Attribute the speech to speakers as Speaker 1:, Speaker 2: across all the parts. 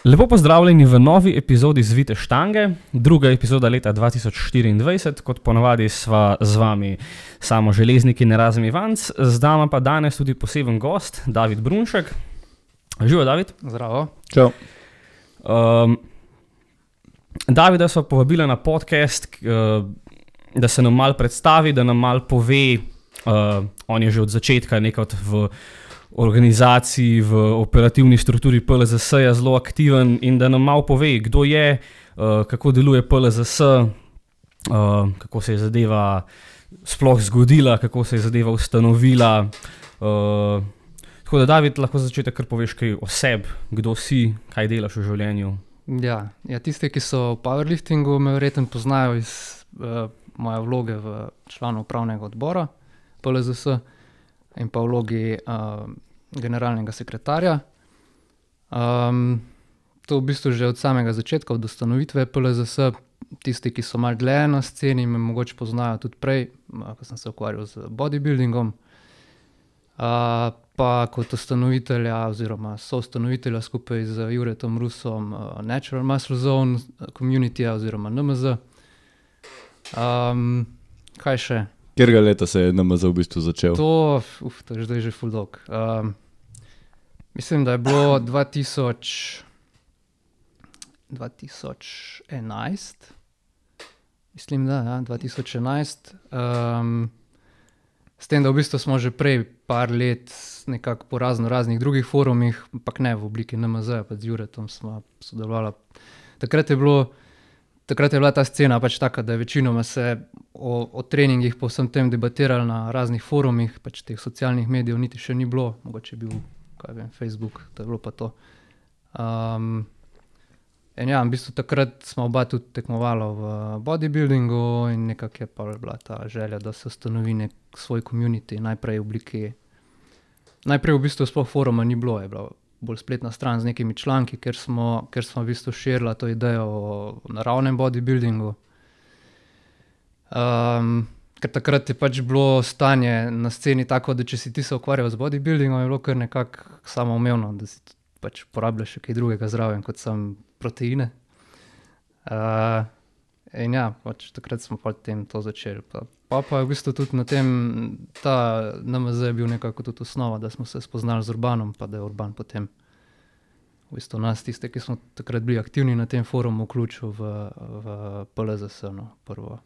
Speaker 1: Lepo pozdravljeni v novi epizodi Zvite štange, druga epizoda leta 2024, kot ponavadi sva z vami Samo Železnik in Erazem Ivanc, z nama pa danes tudi poseben gost, David Brunšek. Živo, David.
Speaker 2: Zdravo.
Speaker 3: Čau.
Speaker 1: Davida sva povabila na podcast, da se nam malo predstavi, da nam malo pove, on je že od začetka nekaj v organizaciji, v operativni strukturi PLZS-ja zelo aktiven in da nam malo pove, kdo je, kako deluje PLZS, kako se je zadeva sploh zgodila, kako se je zadeva ustanovila. Tako da, David, lahko za začetek kar poveš kaj o sebi, kdo si, kaj delaš v življenju.
Speaker 2: Ja, tisti, ki so v powerliftingu, me verjetno poznajo iz moje vloge v članu upravnega odbora PLZS in pa vlogi generalnega sekretarja. To v bistvu že od samega začetka, od ustanovitve PLZS. Tisti, ki so malo dlje na sceni, me mogoče poznajo tudi prej, ko sem se ukvarjal z bodybuildingom. Pa kot ustanovitelja oziroma soustanovitelja skupaj z Juretom Rusom Natural Muscle Zone Communityja oziroma NMZ. Kaj še?
Speaker 3: Kjerega leta se je NMZ v bistvu začel?
Speaker 2: To je zdaj že ful dolg. Mislim, da je bilo 2011. Mislim, da, ja, 2011. S tem, da v bistvu smo že prej par let nekako po raznih drugih forumih, ampak ne v obliki NMZ, pa z Juretom smo sodelovali. Takrat je bila ta scena pač taka, da je večinoma se o treningih po vsem tem debatirali na raznih forumih, pač teh socialnih medijev niti še ni bilo, mogoče je bil, kaj vem, Facebook, to je bilo pa to. In ja, v bistvu takrat smo oba tudi tekmovala v bodybuildingu in nekako je pa bila ta želja, da se ustanovi nek svoj community, najprej v bistvu sploh foruma ni bilo, je bila bolj spletna stran z nekimi članki, ker smo v bistvu širila to idejo o naravnem bodybuildingu. Ker takrat je pač bilo stanje na sceni tako, da če si ti se ukvarjal z bodybuildingom, je bilo kar nekako samoumevno, da si pač porabljaš še kaj drugega zraven, kot sam proteine. In ja, pač takrat smo potem to začeli. Pa je v bistvu tudi na tem, ta NMZ je bil nekako tudi osnova, da smo se spoznali z Urbanom, pa da je Urban potem v bistvu nas, tiste, ki smo takrat bili aktivni na tem forumu, vključil v PLZS, prvo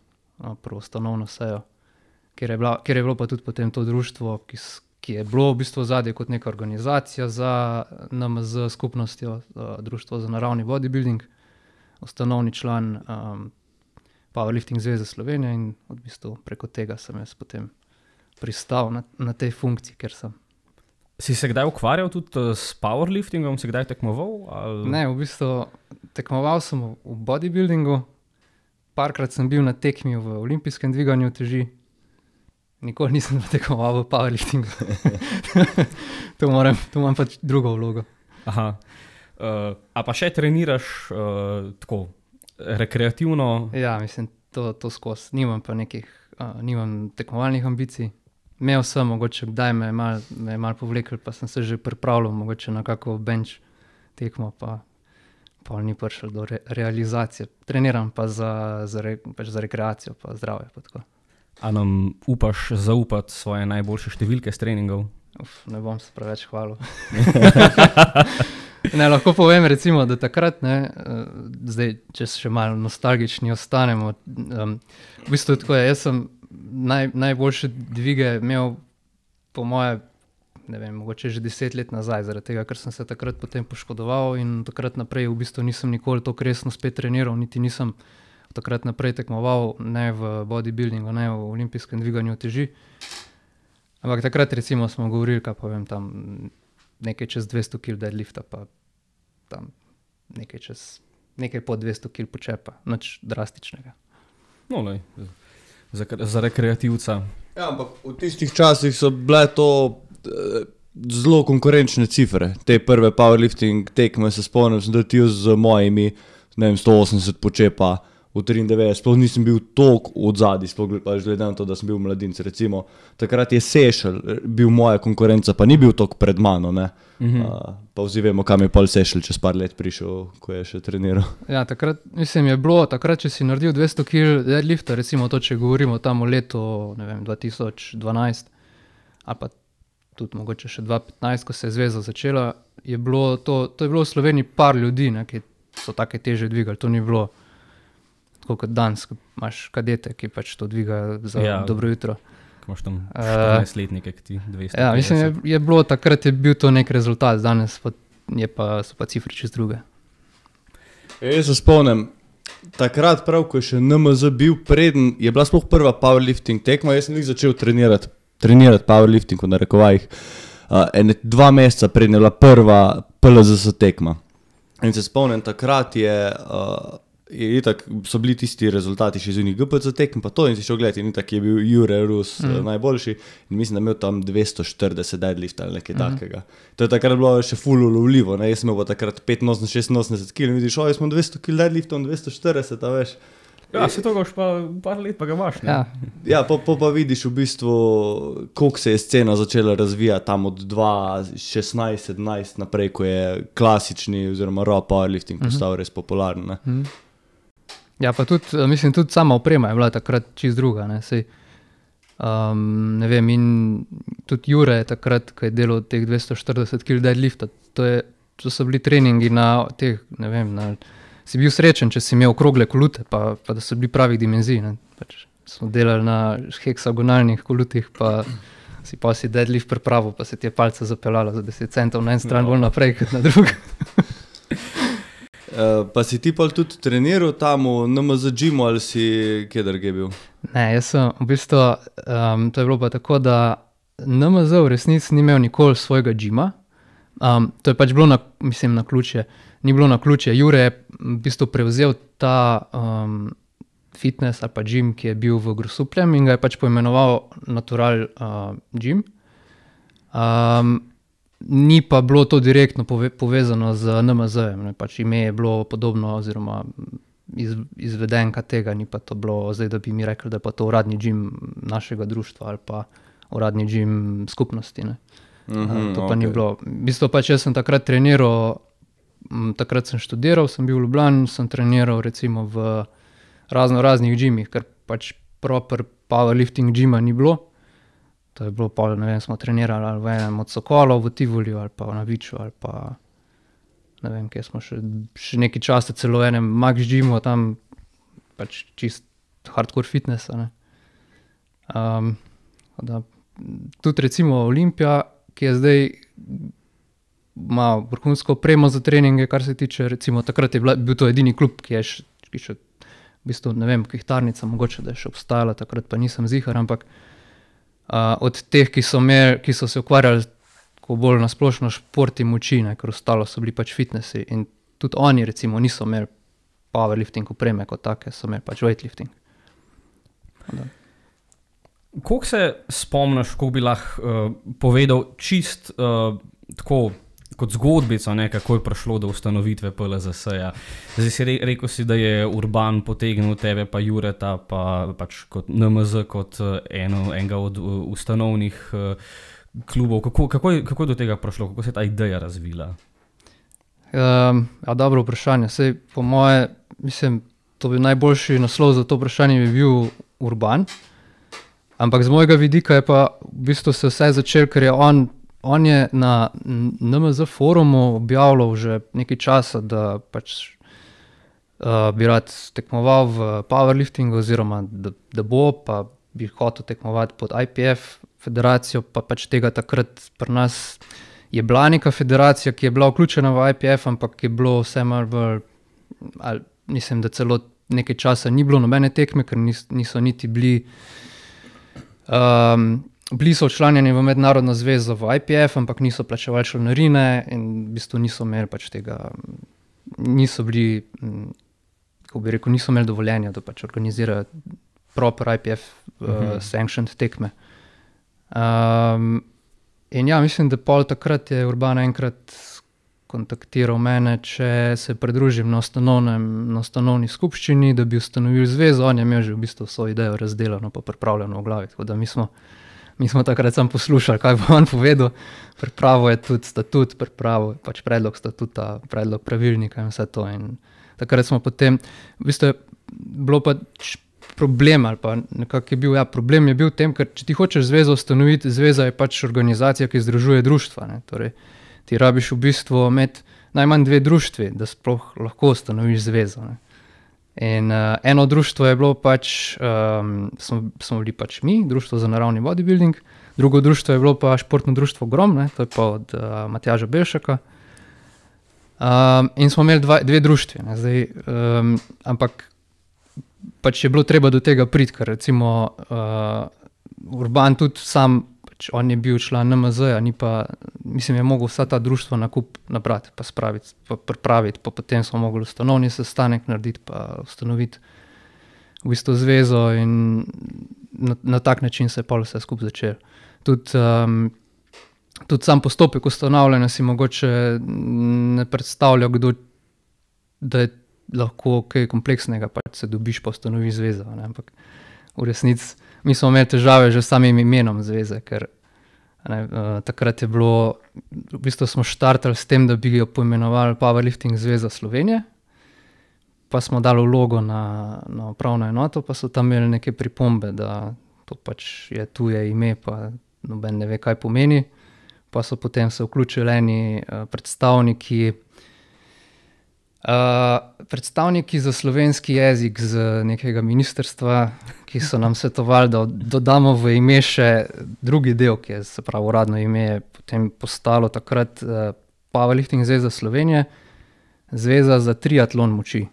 Speaker 2: ustanovno sejo, kjer je bilo pa tudi potem to društvo, ki je bilo v bistvu zadje kot neka organizacija za NMZ skupnostjo, Društvo za naravni bodybuilding, ustanovni član Powerlifting zveze Slovenije in v bistvu preko tega sem jaz potem pristal na tej funkciji, ker sem.
Speaker 1: Si se kdaj ukvarjal tudi s powerliftingom, si kdaj tekmoval? Ali?
Speaker 2: Ne, v bistvu tekmoval sem v bodybuildingu, parkrat sem bil na tekmi v olimpijskem dviganju teži, nikoli nisem tekmoval v powerliftingu. To imam pač drugo vlogo.
Speaker 1: Aha. A pa še treniraš tako rekreativno?
Speaker 2: Ja, mislim, to skozi. Nimam tekmovalnih ambicij. Imel sem, mogoče kdaj me je malo povlekel, pa sem se že pripravljal mogoče na kako bench tekmo, pa ni prišel do realizacije. Treniram pa za rekreacijo, pa zdravje. Pa tako.
Speaker 1: A nam upaš zaupati svoje najboljše številke s treningov?
Speaker 2: Ne bom se preveč hvalil. Ne, lahko povem recimo, da takrat, zdaj, če še malo nostalgični ostanemo, v bistvu tako je, jaz sem najboljše dvige imel po moje, ne vem, mogoče že 10 let nazaj, zaradi tega, ker sem se takrat potem poškodoval in takrat naprej v bistvu nisem nikoli toliko resno spet treniral, niti nisem takrat naprej tekmoval, ne v bodybuildingu, ne v olimpijskem dviganju teži. Ampak takrat recimo smo govorili, kaj povem, tam nekaj čez 200 kg deadlifta, pa tam nekaj pod 200 kg počepa, nič drastičnega.
Speaker 1: No, lej, za rekreativca.
Speaker 3: Ja, ampak v tistih časih so bile to zelo konkurenčne cifre. Te prve powerlifting tekme se spomnim, sem da ti z mojimi, ne vem, 180 počepa, v 93, sploh nisem bil toliko odzadaj, sploh glede na to, da sem bil mladinc, recimo, takrat je Sešel bil moja konkurenca, pa ni bil toliko pred mano, ne. Pa vsi vemo, kam je pol Sešel čez par let prišel, ko je še treniral.
Speaker 2: Ja, takrat, mislim, je bilo, takrat, če si naredil 200 kg deadlifta, recimo to, če govorimo tam o letu, ne vem, 2012, ali pa tudi mogoče še 2015, ko se je zveza začela, je bilo to je bilo v Sloveniji par ljudi, ne, ki so take teže dvigali, to ni bilo tako kot danes, ko imaš kadete, ki pač to dvigajo za dobro jutro.
Speaker 1: Ko imaš tam 14-letnike, ki ti 200.
Speaker 2: Ja, mislim, je bilo, takrat je bil to nek rezultat, danes so pa cifre čist druge.
Speaker 3: Jaz se spomnim, takrat prav, ko je še NMZ bil preden, je bila sploh prva powerlifting tekma, jaz sem jih začel trenirati powerlifting v narekovajih, 2 meseca preden je bila prva PLZS tekma. In se spomnim, takrat itak so bili tisti rezultati še iz unih GPC tekm, pa to in si šel gledati, in itak je bil Jure Rus najboljši in mislim, da imel tam 240 deadlift ali nekaj takega. To je takrat bilo še ful ulovljivo, ne, jaz sem imel pa takrat 85-86 kg in vidiš, jaz imam 200 kg deadliftom, 240, a veš.
Speaker 1: Ja, se to gaš pa par let, pa ga imaš, ne?
Speaker 3: Ja, pa vidiš v bistvu, koliko se je scena začela razvijati tam od 2016-17 naprej, ko je klasični oziroma raw powerlifting postal res popularen, ne.
Speaker 2: Ja, pa tudi, mislim, tudi sama oprema je bila takrat čist druga, ne, sej, ne vem, in tudi Jure je takrat, ko je delal teh 240 kg deadlifta, to so bili treningi na teh, ne vem, si bil srečen, če si imel okrogle kolute, pa da so bili pravih dimenzij, ne, pač smo delali na heksagonalnih kolutih, pa si deadlift pripravil, pa se ti je palca zapeljala za 10 centov na en stran bolj naprej, kot na drug.
Speaker 3: Pa si ti pol tudi treniral tam v NMZ gymu ali si kje drugje bil?
Speaker 2: Ne, jaz sem v bistvu, to je bilo pa tako, da NMZ v resnici ni imel nikoli svojega gyma. To je pač bilo naključje, ni bilo naključje. Jure je v bistvu prevzel ta fitness ali pa gym, ki je bil v Grosupljem in ga je pač poimenoval Natural gym. Ni pa bilo to direktno povezano z NMZ-jem, pač ime je bilo podobno oziroma izvedenka tega, ni pa to bilo zdaj, da bi mi rekli, da je pa to uradni gym našega društva ali pa uradni gym skupnosti, ne. To pa ni bilo. V bistvu pač jaz sem takrat treniral, takrat sem študiral, sem bil v Ljubljani, sem treniral recimo v raznih gymih, ker pač proper powerlifting gyma ni bilo. To je bilo pol, ne vem, smo trenirali ali v enem od Sokolov v Tivoliju ali pa na Viču ali pa ne vem, kje smo še nekaj časa celo v enem Max gymu, tam pač čist hardcore fitnessa, ne. Tudi recimo Olimpija, ki je zdaj ima vrhunsko opremo za treninge, kar se tiče, recimo takrat je bil to edini klub, ki je še v bistvu, ne vem, Kihtarnica, mogoče da je še obstajala, takrat pa nisem zihar, ampak od teh, ki so se ukvarjali bolj na splošno šport in moči, ne, ker ostalo so bili pač fitnessi in tudi oni recimo niso imeli powerlifting opreme kot take, so imeli pač weightlifting.
Speaker 1: Koliko se spomniš, koliko bi lahko povedal čist tako kot zgodbico, ne, kako je prišlo do ustanovitve PLZS-ja. Zdaj si rekel si, da je Urban potegnil tebe, pa Jureta, pa pač kot NMZ, kot enega od ustanovnih klubov. Kako je do tega prišlo? Kako se je ta ideja razvila?
Speaker 2: Dobro vprašanje. Sej, po moje, mislim, to bi najboljši naslov za to vprašanje bi bil Urban. Ampak z mojega vidika je pa v bistvu se vse začel, ker je on je na NMZ forumu objavljal že nekaj časa, da pač bi rad tekmoval v powerliftingu oziroma da bo, pa bi hotel tekmovati pod IPF federacijo, pa pač tega takrat pri nas je bila neka federacija, ki je bila vključena v IPF, ampak je bilo vse malo bolj, mislim, da celo nekaj časa ni bilo nobene tekme, ker niso niti bili so včlanjeni v mednarodno zvezo v IPF, ampak niso plačevali članarine in v bistvu niso imeli pač tega, niso bili, kako bi rekel, niso imeli dovoljenja, da pač organizirajo proper IPF sanctioned tekme. In ja, mislim, da pol takrat je Urban enkrat kontaktiral mene, če se pridružim na ustanovni skupščini, da bi ustanovili zvezo. On je imel že v bistvu svojo idejo razdeljeno pa pripravljeno v glavi. Tako da mi smo takrat samo poslušali, kaj bo on povedal. Pripravil je tudi statut, pripravil pač predlog statuta, predlog pravilnika in vse to. In takrat smo potem, v bistvu je bilo pač problem ali pa nekako je bil, problem je bil v tem, ker če ti hočeš zvezo ustanoviti, zveza je pač organizacija, ki združuje društva, ne. Torej, ti rabiš v bistvu imeti najmanj 2 društvi, da sploh lahko ustanoviš zvezo, ne. In eno društvo je bilo pač, smo bili pač mi, Društvo za naravni bodybuilding, drugo društvo je bilo pa Športno društvo Grom, ne, to je pa od Matjaža Belšaka. In smo imeli 2 društvi, ne, zdaj, ampak pač je bilo treba do tega priti, ker recimo Urban tudi sam, pač on je bil član NMZ-ja, ni pa, mislim, je mogel vsa ta društva nabrati, pa spraviti, pa pripraviti, pa potem smo mogli ustanovni sestanek narediti, pa ustanoviti v bistvu zvezo in na tak način se je pol vse skupaj začelo. Tudi sam postopek ustanavljanja si mogoče ne predstavlja, da je lahko kaj kompleksnega, pač se dobiš pa ustanoviš zvezo, ne, ampak v resnici mi smo imeli težave že s samim imenom zveze, ker takrat je bilo, v bistvu smo štartali s tem, da bi jo poimenovali Powerlifting zveza Slovenije, pa smo dali vlogo na upravno enoto, pa so tam imeli neke pripombe, da to pač je tuje ime, pa noben ne ve, kaj pomeni, pa so potem se vključili eni predstavniki za slovenski jezik z nekega ministrstva, ki so nam svetovali, da dodamo v ime še drugi del, ki je, se pravi, uradno ime je potem postalo takrat Powerlifting zveza Slovenije, zveza za triatlon moči.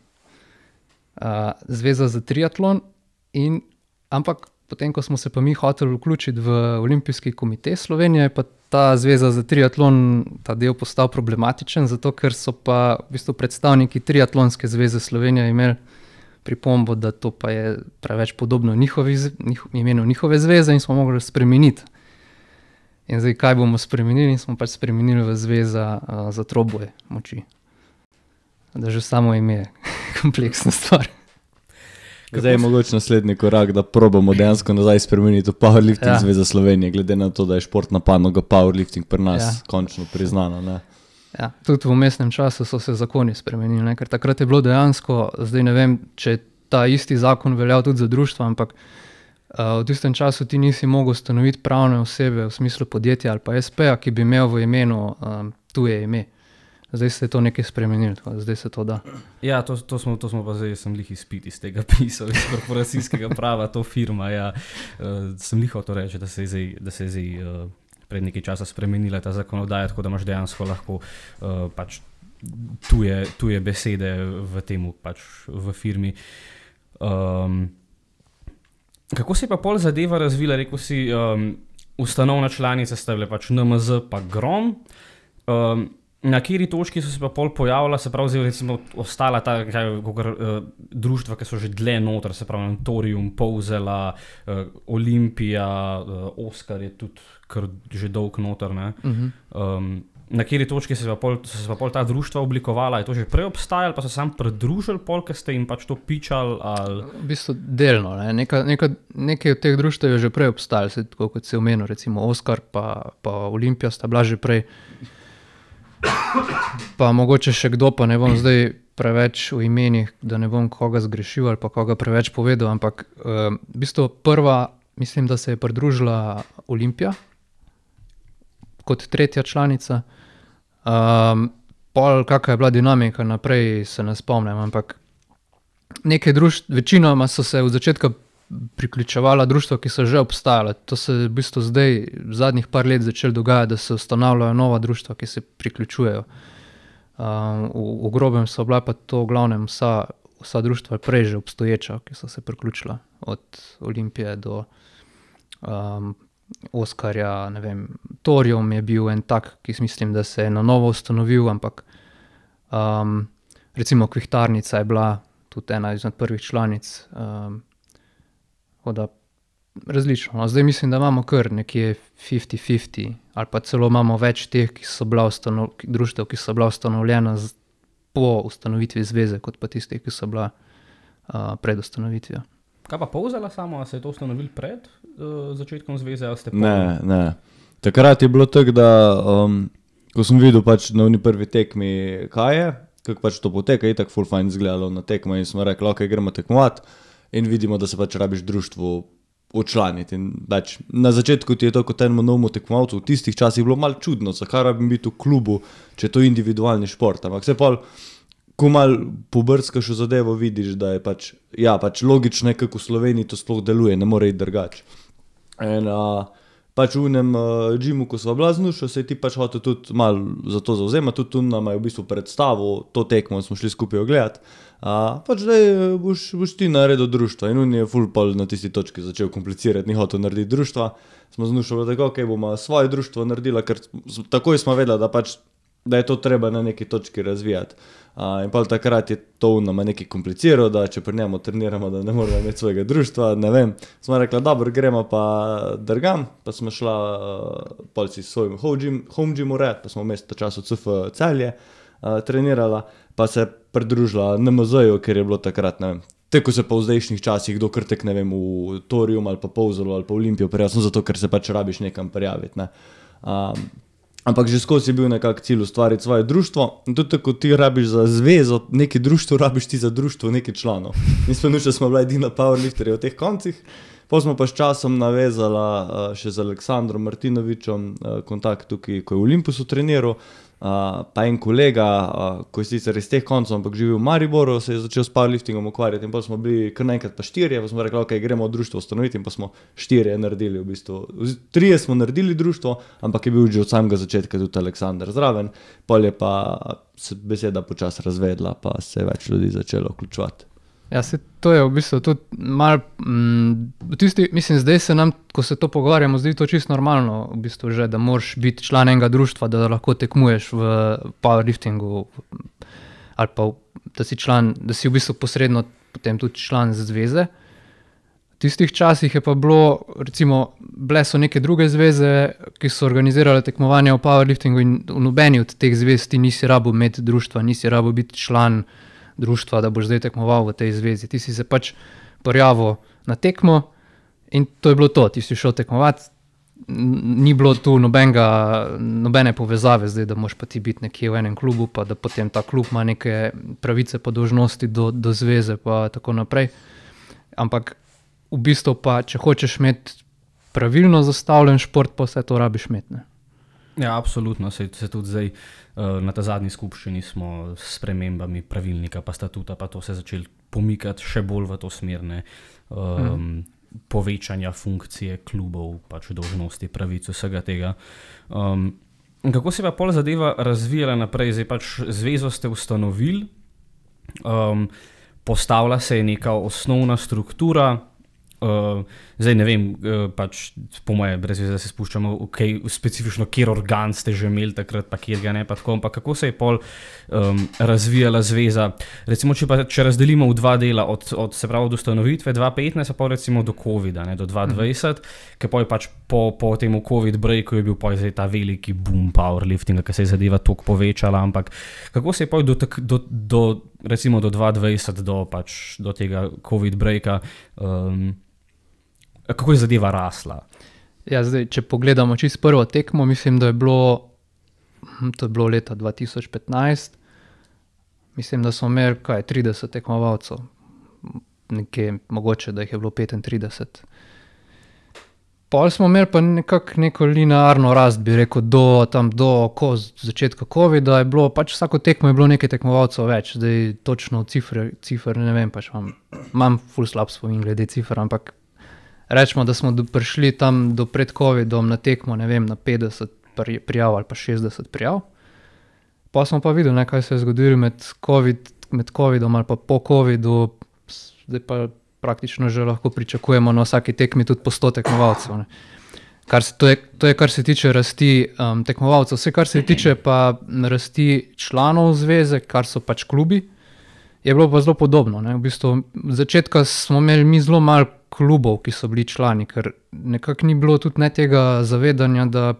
Speaker 2: Zveza za triatlon ampak potem, ko smo se pa mi hoteli vključiti v Olimpijski komite Slovenije, je pa ta zveza za triatlon, ta del postal problematičen, zato ker so pa v bistvu predstavniki Triatlonske zveze Slovenije imeli pripombo, da to pa je preveč podobno imenu njihove zveze in smo mogli spremeniti. In zdaj, kaj bomo spremenili? In smo pač spremenili v zveza za troboj moči. Da že samo ime je kompleksna stvar.
Speaker 3: Zdaj je mogoče naslednji korak, da probamo dejansko nazaj spremeniti v Powerlifting zveza Slovenije, glede na to, da je športna panoga Powerlifting pri nas končno priznana, ne.
Speaker 2: Ja, tudi v vmesnem času so se zakoni spremenili, ne, ker takrat je bilo dejansko, zdaj ne vem, če je ta isti zakon veljal tudi za društva, ampak v tistem času ti nisi mogel ustanoviti pravne osebe v smislu podjetja ali pa SP-ja, ki bi imel v imenu tuje ime. Zdaj se je to nekaj spremenilo, zdaj se to da.
Speaker 1: Ja, to smo pa zdaj, sem lih izpit iz tega pisal, iz korporacijskega prava, to firma, ja. Sem lih hotel reči, da se je zdaj pred nekaj časa spremenila ta zakonodaja, tako da imaš dejansko lahko pač tuje besede v temu pač v firmi. Kako se je pa pol zadeva razvila? Rekel si, ustanovna članica sta bile pač NMZ pa Grom. Na kateri točki so se pa pol pojavila, se pravi, zdaj recimo ostala ta društva, ki so že dlje noter, se pravi Notorium, Povzela, Olimpija, Oskar je tudi kar že dolg noter, ne. Na kateri točki so se pa pol ta društva oblikovala? Je to že prej obstajalo, pa so se sam pridružili pol, ker ste jim pač to pičali? Ali?
Speaker 2: V bistvu delno, ne. Nekaj od teh društev je že prej obstajalo, tako kot si omenil, recimo Oskar pa Olimpija sta bila že prej. Pa mogoče še kdo, pa ne bom zdaj preveč v imenih, da ne bom koga zgrešil ali pa koga preveč povedal, ampak v bistvu prva, mislim, da se je pridružila Olimpija kot tretja članica. Pol, kakva je bila dinamika naprej, se ne spomnim, ampak nekaj večinoma so se od začetka priključevala društva, ki so že obstajala. To se v bistvu zdaj, zadnjih par let začelo dogajati, da se ustanavljajo nova društva, ki se priključujejo. V grobem so bila pa to v glavnem vsa društva prej že obstoječa, ki so se priključila. Od Olimpije do Oskarja, ne vem, Torium je bil en tak, ki mislim, da se je na novo ustanovil, ampak recimo Kvihtarnica je bila tudi ena izmed prvih članic. Da različno. No, zdaj mislim, da imamo kar nekje 50-50 ali pa celo imamo več teh, društev, ki so bila ustanovljena po ustanovitvi zveze, kot pa tistih, ki so bila pred ustanovitvijo.
Speaker 1: Kaj pa Polzela samo, a se je to ustanovil pred začetkom zveze, ali ste pa...
Speaker 3: Ne. Takrat je bilo tako, da ko sem videl pač na oni prvi tekmi, kaj je, kako pač to poteka, je tako full fajn izgledalo na tekmo in smo rekli, ok, gremo tekmovati in vidimo, da se pač rabiš društvu učlaniti. In pač na začetku ti je to kot enemu novemu tekmovalcu, v tistih časih bilo malo čudno, zakaj rabim biti v klubu, če je to individualni šport, ampak se pa ko malo pobrskaš v zadevo, vidiš, da je pač, logično je, kako v Sloveniji to sploh deluje, ne more iti drugače. In pač v enem džimu, ko sva bila z Nušo, se je ti pač hotel tudi malo za to zavzemati, tudi tu nam je v bistvu predstavil to tekmo in smo šli skupaj ogledati. Pač zdaj boš ti naredil društva in on je ful pol na tisti točki začel komplicirati, ni hotel narediti društva. Smo z Nušo tako, ok, bomo svoje društvo naredila, ker takoj smo vedela, da je to treba na neki točki razvijati. In pa takrat je to nama nekaj kompliciral, da če pri njemu treniramo, da ne moramo imeti svojega društva, ne vem. Smo rekla, dobro, gremo pa drgam, pa smo šla polci s svojim home gymu red, pa smo vmes ta čas v CF Celje trenirala, pa se pridružila NMZ-ju, ker je bilo takrat, ne vem, tako se pa v zdajšnjih časih kdo krtek, ne vem, v Torium ali pa Polzelu ali pa Olimpijo prijavil, zato ker se pač rabiš nekam prijaviti, ne. Ampak že skozi je bil nekak cilj ustvariti svoje društvo in tudi tako ti rabiš za zvezo neki društvo, rabiš ti za društvo neki članov. In smo bila edina powerlifterja v teh koncih, potem smo pa s časom navezala še z Aleksandrom Martinovičem kontakt tukaj, ko je v Olympusu treniral, pa en kolega, ko je sicer iz teh koncov, ampak živi v Mariboru, se je začel s powerliftingom ukvarjati in potem smo bili kar naenkrat pa 4, pa smo rekli, ok, gremo društvo ustanoviti in pa smo 4 naredili v bistvu. 3 smo naredili društvo, ampak je bil že od samega začetka tudi Aleksandar zraven, pol je pa se beseda počas razvedla, pa se je več ljudi začelo vključevati.
Speaker 2: Ja, to je v bistvu tudi malo, mislim, zdaj se nam, ko se to pogovarjamo, zdi to čisto normalno, v bistvu že, da moraš biti član enega društva, da lahko tekmuješ v powerliftingu, ali pa da si v bistvu posredno potem tudi član zveze. V tistih časih je pa bilo, recimo, bile so neke druge zveze, ki so organizirale tekmovanja v powerliftingu in v nobeni od teh zvez ti nisi rabil imeti društva, nisi rabil biti član društva, da boš zdaj tekmoval v tej zvezi. Ti si se pač prijavil na tekmo in to je bilo to. Ti si šel tekmovati, ni bilo tu nobene povezave zdaj, da moš pa ti biti nekje v enem klubu, pa da potem ta klub ima neke pravice pa dolžnosti do zveze pa tako naprej. Ampak v bistvu pa, če hočeš imeti pravilno zastavljen šport, pa vse to rabiš imeti, ne?
Speaker 1: Ja, absolutno. Se tudi zdaj na ta zadnji skupščini smo s spremembami pravilnika pa statuta, pa to se začeli pomikati še bolj v to smer, povečanja funkcije klubov, pač dolžnosti, pravic, vsega tega. Kako se pa pol zadeva razvijala naprej? Zdaj pač zvezo ste ustanovili, postavila se je neka osnovna struktura, zdaj ne vem, pač po moje, brez veze, da se spuščamo specifično, kjer organ ste že imeli takrat, pa kjer ga ne, pa tako, ampak kako se je pol razvijala zveza? Recimo, če razdelimo v dva dela, se pravi od ustanovitve 2015, pa recimo do COVID-a, ne, do 2020, ker pol pač po temu COVID breaku je bil pol zdaj ta veliki boom powerliftinga, ki se je zadeva toliko povečala, ampak kako se je pol recimo do 2020, do tega COVID breaka, kako je zadeva rasla?
Speaker 2: Ja, zdaj, če pogledamo čisto prvo tekmo, mislim, da je bilo leta 2015, mislim, da smo imeli 30 tekmovalcev, nekje mogoče, da jih je bilo 35. Pol smo imeli pa neko linearno rast, bi rekel, do začetka COVID-a je bilo, pač vsako tekmo je bilo nekaj tekmovalcev več, zdaj točno cifer ne vem, pač imam ful slab spomin glede cifer, ampak rečemo, da smo prišli tam do pred COVID-om na tekmo, ne vem, na 50 prijav ali pa 60 prijav. Pa smo pa videli, kaj se je zgodilo med COVID-om ali pa po COVID-u, zdaj pa praktično že lahko pričakujemo na vsaki tekmi tudi po 100 tekmovalcev. To je, kar se tiče rasti tekmovalcev. Vse, kar se tiče pa rasti članov zveze, kar so pač klubi, je bilo pa zelo podobno. Ne? V bistvu, od začetka smo imeli mi zelo malo klubov, ki so bili člani, ker nekako ni bilo tudi ne tega zavedanja, da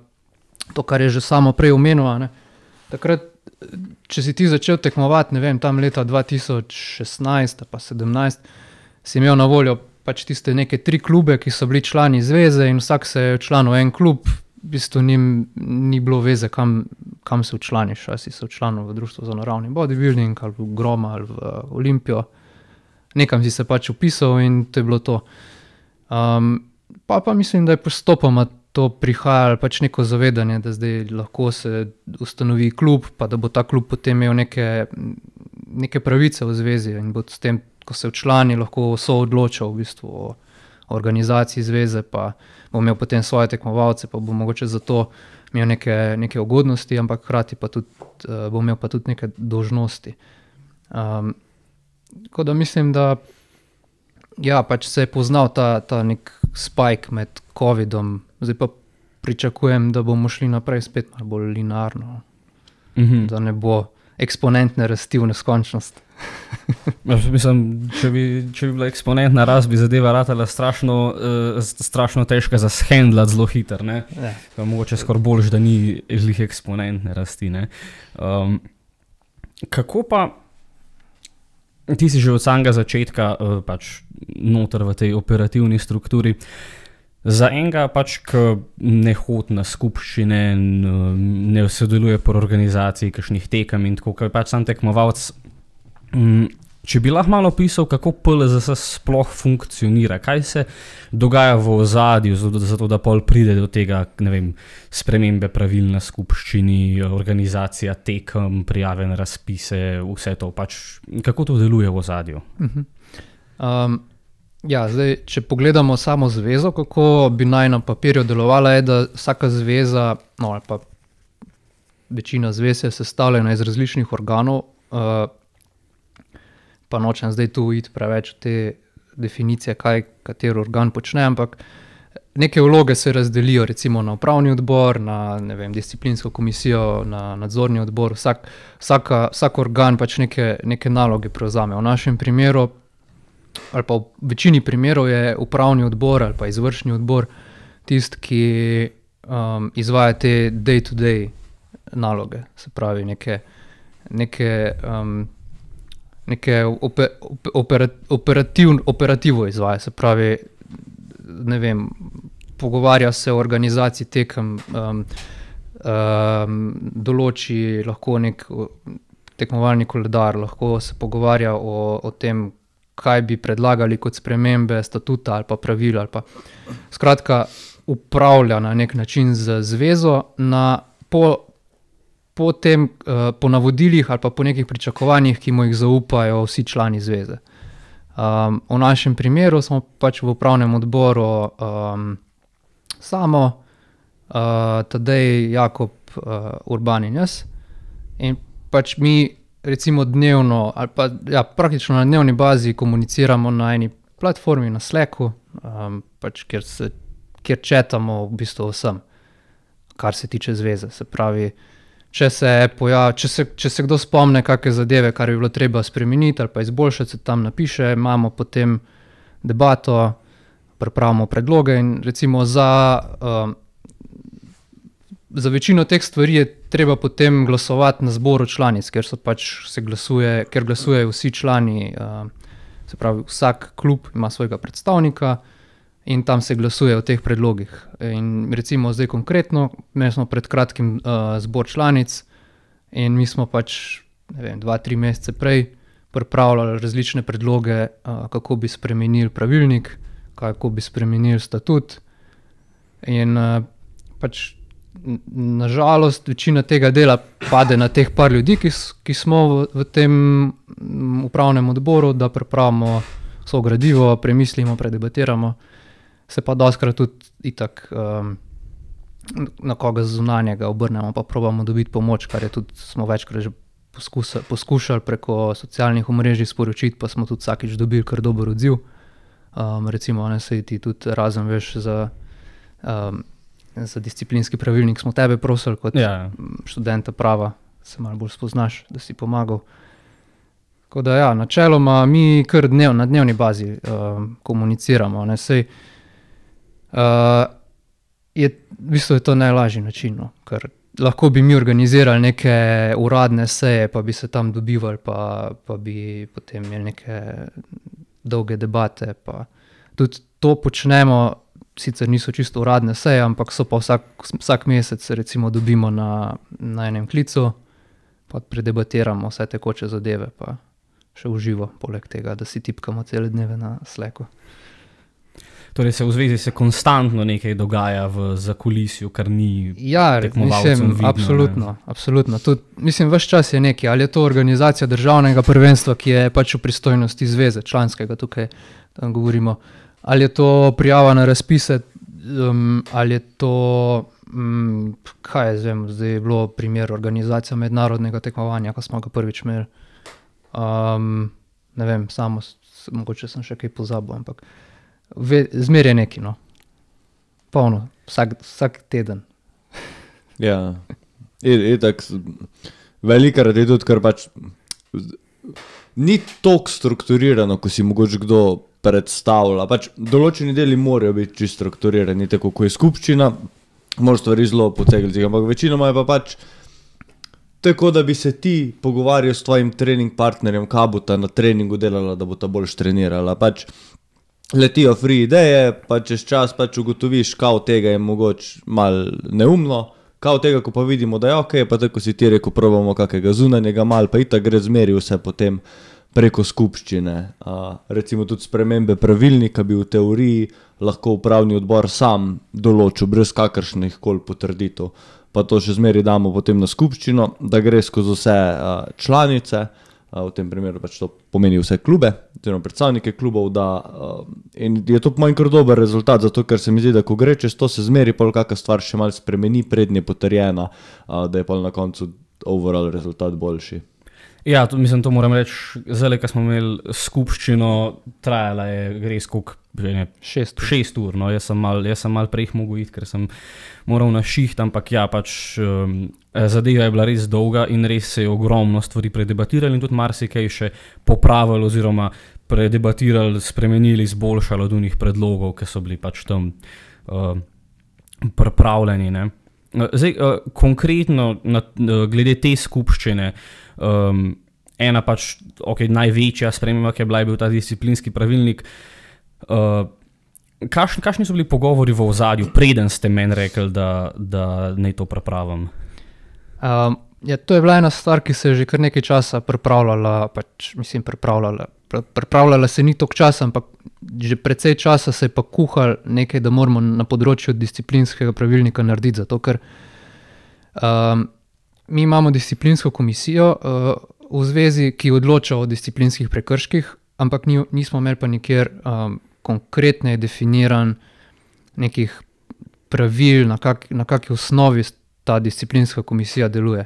Speaker 2: to, kar je že samo prej omenil, ne? Takrat, če si ti začel tekmovati, ne vem, tam leta 2016 pa 2017, si imel na voljo pač tiste neke 3 klube, ki so bili člani zveze in vsak se je včlanil v en klub, v bistvu ni bilo veze, kam se včlaniš, ali si se včlanil v Društvo za naravni bodybuilding, ali v Groma, ali v Olimpijo. Nekam si se pač vpisal in to je bilo to. Pa mislim, da je postopoma to prihajalo pač neko zavedanje, da zdaj lahko se ustanovi klub, pa da bo ta klub potem imel neke pravice v zvezi in bo s tem, ko se včlani, lahko soodločal v bistvu o organizaciji zveze, pa bo imel potem svoje tekmovalce, pa bo mogoče zato imel neke ugodnosti, ampak hkrati pa tudi, bo imel pa tudi neke dolžnosti. Tako da mislim, da ja, pač se je poznal ta nek spike med COVID-om, zdaj pa pričakujem, da bomo šli naprej spet malo bolj linearno, da ne bo eksponentne rasti v neskončnost.
Speaker 1: Mislim, če bi bila eksponentna rast, bi zadeva ratala strašno težka za shendlati zelo hiter, ne? Ja. Mogoče skoraj boljš, da ni glih eksponentne rasti, ne? Kako pa, ti si že od samega začetka pač noter v tej operativni strukturi, za enega pač, ki ne hodi na skupščine, ne sodeluje po organizaciji kakšnih tekem in tako, ki je pač sam tekmovalec, če bi lahko malo opisal, kako PLZS sploh funkcionira, kaj se dogaja v ozadju, zato da pol pride do tega, ne vem, spremembe pravil na skupščini, organizacija tekem, prijave na razpise, vse to, pač kako to deluje v ozadju?
Speaker 2: Ja, zdaj, če pogledamo samo zvezo, kako bi naj na papirju delovala, je, da vsaka zveza, no ali pa večina zvez je sestavljena iz različnih organov, pa nočem zdaj tu iti preveč v te definicije, kaj kateri organ počne, ampak neke vloge se razdelijo recimo na upravni odbor, na ne vem, disciplinsko komisijo, na nadzorni odbor, vsak organ pač neke naloge prevzame. V našem primeru, ali pa v večini primerov je upravni odbor ali pa izvršni odbor tisti, ki izvaja te day-to-day naloge, se pravi neke operativo izvaja, se pravi, ne vem, pogovarja se o organizaciji tekem, določi lahko nek tekmovalni koledar, lahko se pogovarja o tem, kaj bi predlagali kot spremembe statuta ali pa pravil, ali pa skratka upravlja na nek način z zvezo po navodilih ali pa po nekih pričakovanjih, ki mu jih zaupajo vsi člani zveze. V našem primeru smo pač v upravnem odboru Samo, Tadej, Jakob, Urban in jaz. In pač mi recimo dnevno ali pa ja, praktično na dnevni bazi komuniciramo na eni platformi, na Slacku, pač kjer chatamo v bistvu vsem, kar se tiče zveze. Se pravi, če se kdo spomne kakšne zadeve, kar bi bilo treba spremeniti ali pa izboljšati, se tam napiše, imamo potem debato, pripravimo predloge in recimo za večino teh stvari je treba potem glasovati na zboru članic, ker glasujejo vsi člani, se pravi vsak klub ima svojega predstavnika in tam se glasuje o teh predlogih. In recimo zdaj konkretno, mi smo pred kratkim zbor članic in mi smo pač, ne vem, 2-3 mesece prej pripravljali različne predloge, kako bi spremenili pravilnik, kako bi spremenili statut in pač nažalost večina tega dela pade na teh par ljudi, ki smo v tem upravnem odboru, da pripravimo vso gradivo, premislimo, predebatiramo, se pa dostikrat tudi itak na koga zunanjega obrnemo, pa probamo dobiti pomoč, kar je tudi smo večkrat že poskušali preko socialnih omrežij sporočiti, pa smo tudi vsakič dobili kar dober odziv. Recimo, ne sej ti tudi razen veš za disciplinski pravilnik smo tebe prosili kot študenta prava, se malo bolj spoznaš, da si pomagal. Tako da ja, načeloma mi kar na dnevni bazi komuniciramo. Ne? Sej, v bistvu je to najlažji način, no? Ker lahko bi mi organizirali neke uradne seje, pa bi se tam dobivali, pa bi potem imeli neke dolge debate. Pa. Tudi to počnemo, sicer niso čisto uradne seje, ampak so pa vsak mesec recimo dobimo na enem klicu, pa predebatiramo vse tekoče zadeve, pa še uživo, poleg tega, da si tipkamo cele dneve na Slacku.
Speaker 1: Torej v zvezi se konstantno nekaj dogaja v zakulisju, kar ni tekmovalcem vidno.
Speaker 2: Absolutno. Ves čas je nekaj, ali je to organizacija državnega prvenstva, ki je pač v pristojnosti zveze, članskega tukaj tam govorimo, ali je to prijava na razpise, ali je to, zdaj je bilo primer organizacija mednarodnega tekmovanja, ko smo ga prvič imeli. Ne vem, mogoče sem še kaj pozabil, ampak zmer je neki, no. Polno, vsak teden.
Speaker 3: Ja, itak, velikokrat je tudi, ker pač ni toliko strukturirano, ko si mogoče kdo predstavlja. Pač določeni deli morajo biti čisto strukturirani, tako ko je skupščina, moraš stvari zelo potegniti, ampak večinoma je pa pač tako, da bi se ti pogovarjal s tvojim trening partnerjem, kaj bo ta na treningu delala, da bo ta boljš trenirala. Pač letijo free ideje, pa čez čas pač ugotoviš, kaj od tega je mogoče malo neumno, kaj od tega, ko pa vidimo, da je ok, pa tako si ti rekel, probamo kakega zunanjega mal, pa itak gre zmeri vse potem preko skupščine. Recimo tudi spremembe pravilnika bi v teoriji lahko upravni odbor sam določil, brez kakršnih koli potrditev. Pa to še zmeri damo potem na skupščino, da gre skozi vse članice, v tem primeru pač to pomeni vse klube, oziroma predstavnike klubov, in je to po mojem kar dober rezultat, zato ker se mi zdi, da ko gre čez to, se zmeri pol kakšna stvar še malo spremeni, prednje potrjena, da je pol na koncu overall rezultat boljši.
Speaker 1: Ja, to moram reči, zdaj, ko smo imeli skupščino, trajala je res koliko, 6 ur, no, jaz sem malo prej mogel iti, ker sem moral na šiht, ampak ja, pač zadeva je bila res dolga in res se je ogromno stvari predebatirali in tudi marsikaj še popravili oziroma predebatirali, spremenili, izboljšali od unih predlogov, ki so bili pač tam pripravljeni, ne. Zdaj, konkretno glede te skupščine, ena pač, največja sprememba, ki je bil ta disciplinski pravilnik. Kakšni so bili pogovori v ozadju, preden ste meni rekli, da naj to pripravim?
Speaker 2: To je bila ena stvar, ki se je že kar nekaj časa pripravljala, pripravljala se ni toliko časa, ampak že precej časa se je pa kuhal nekaj, da moramo na področju disciplinskega pravilnika narediti, zato ker mi imamo disciplinsko komisijo v zvezi, ki odloča o disciplinskih prekrških, ampak nismo imeli pa nikjer konkretno definiran nekih pravil, na kakšni osnovi ta disciplinska komisija deluje.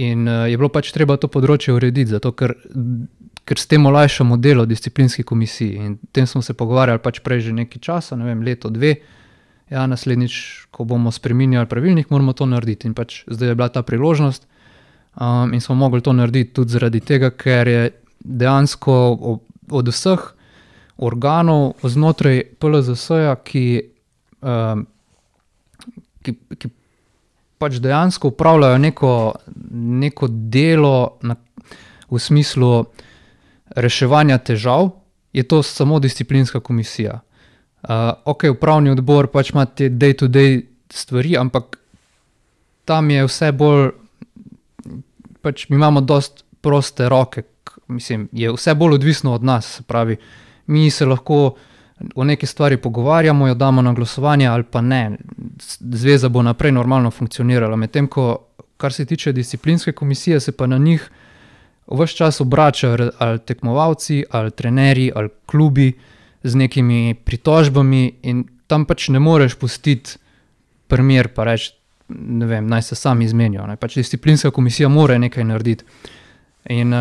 Speaker 2: In je bilo pač treba to področje urediti, zato ker s tem olajšamo delo disciplinski komisiji. In o tem smo se pogovarjali pač prej že nekaj časa, ne vem, leto, 2. Ja, naslednjič, ko bomo spreminjali pravilnik, moramo to narediti. In pač zdaj je bila ta priložnost in smo mogli to narediti tudi zaradi tega, ker je dejansko od vseh organov znotraj PLZS-ja, ki pač dejansko upravljajo neko delo v smislu reševanja težav, je to samo disciplinska komisija. Upravni odbor pač ima te day-to-day stvari, ampak tam je vse bolj, pač mi imamo dosti proste roke, je vse bolj odvisno od nas, se pravi, mi se lahko o neki stvari pogovarjamo, jo damo na glasovanje ali pa ne. Zveza bo naprej normalno funkcionirala, medtem ko, kar se tiče disciplinske komisije, se pa na njih ves čas obračajo ali tekmovalci, ali trenerji, ali klubi z nekimi pritožbami in tam pač ne moreš pustiti primer pa reči, ne vem, naj se sami izmenijo. Pač disciplinska komisija mora nekaj narediti. In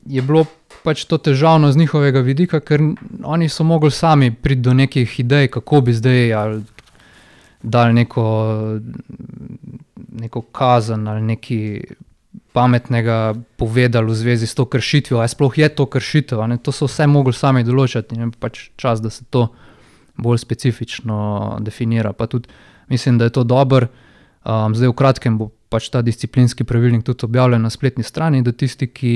Speaker 2: je bilo pač to težavno z njihovega vidika, ker oni so mogli sami priti do nekih idej, kako bi zdaj ali dali neko kazen ali neki pametnega povedali v zvezi s to kršitvijo, a sploh je to kršitev, a ne? To so vse mogli sami določati in je pač čas, da se to bolj specifično definira. Pa tudi mislim, da je to dobro. Zdaj v kratkem bo pač ta disciplinski pravilnik tudi objavljen na spletni strani, da tisti, ki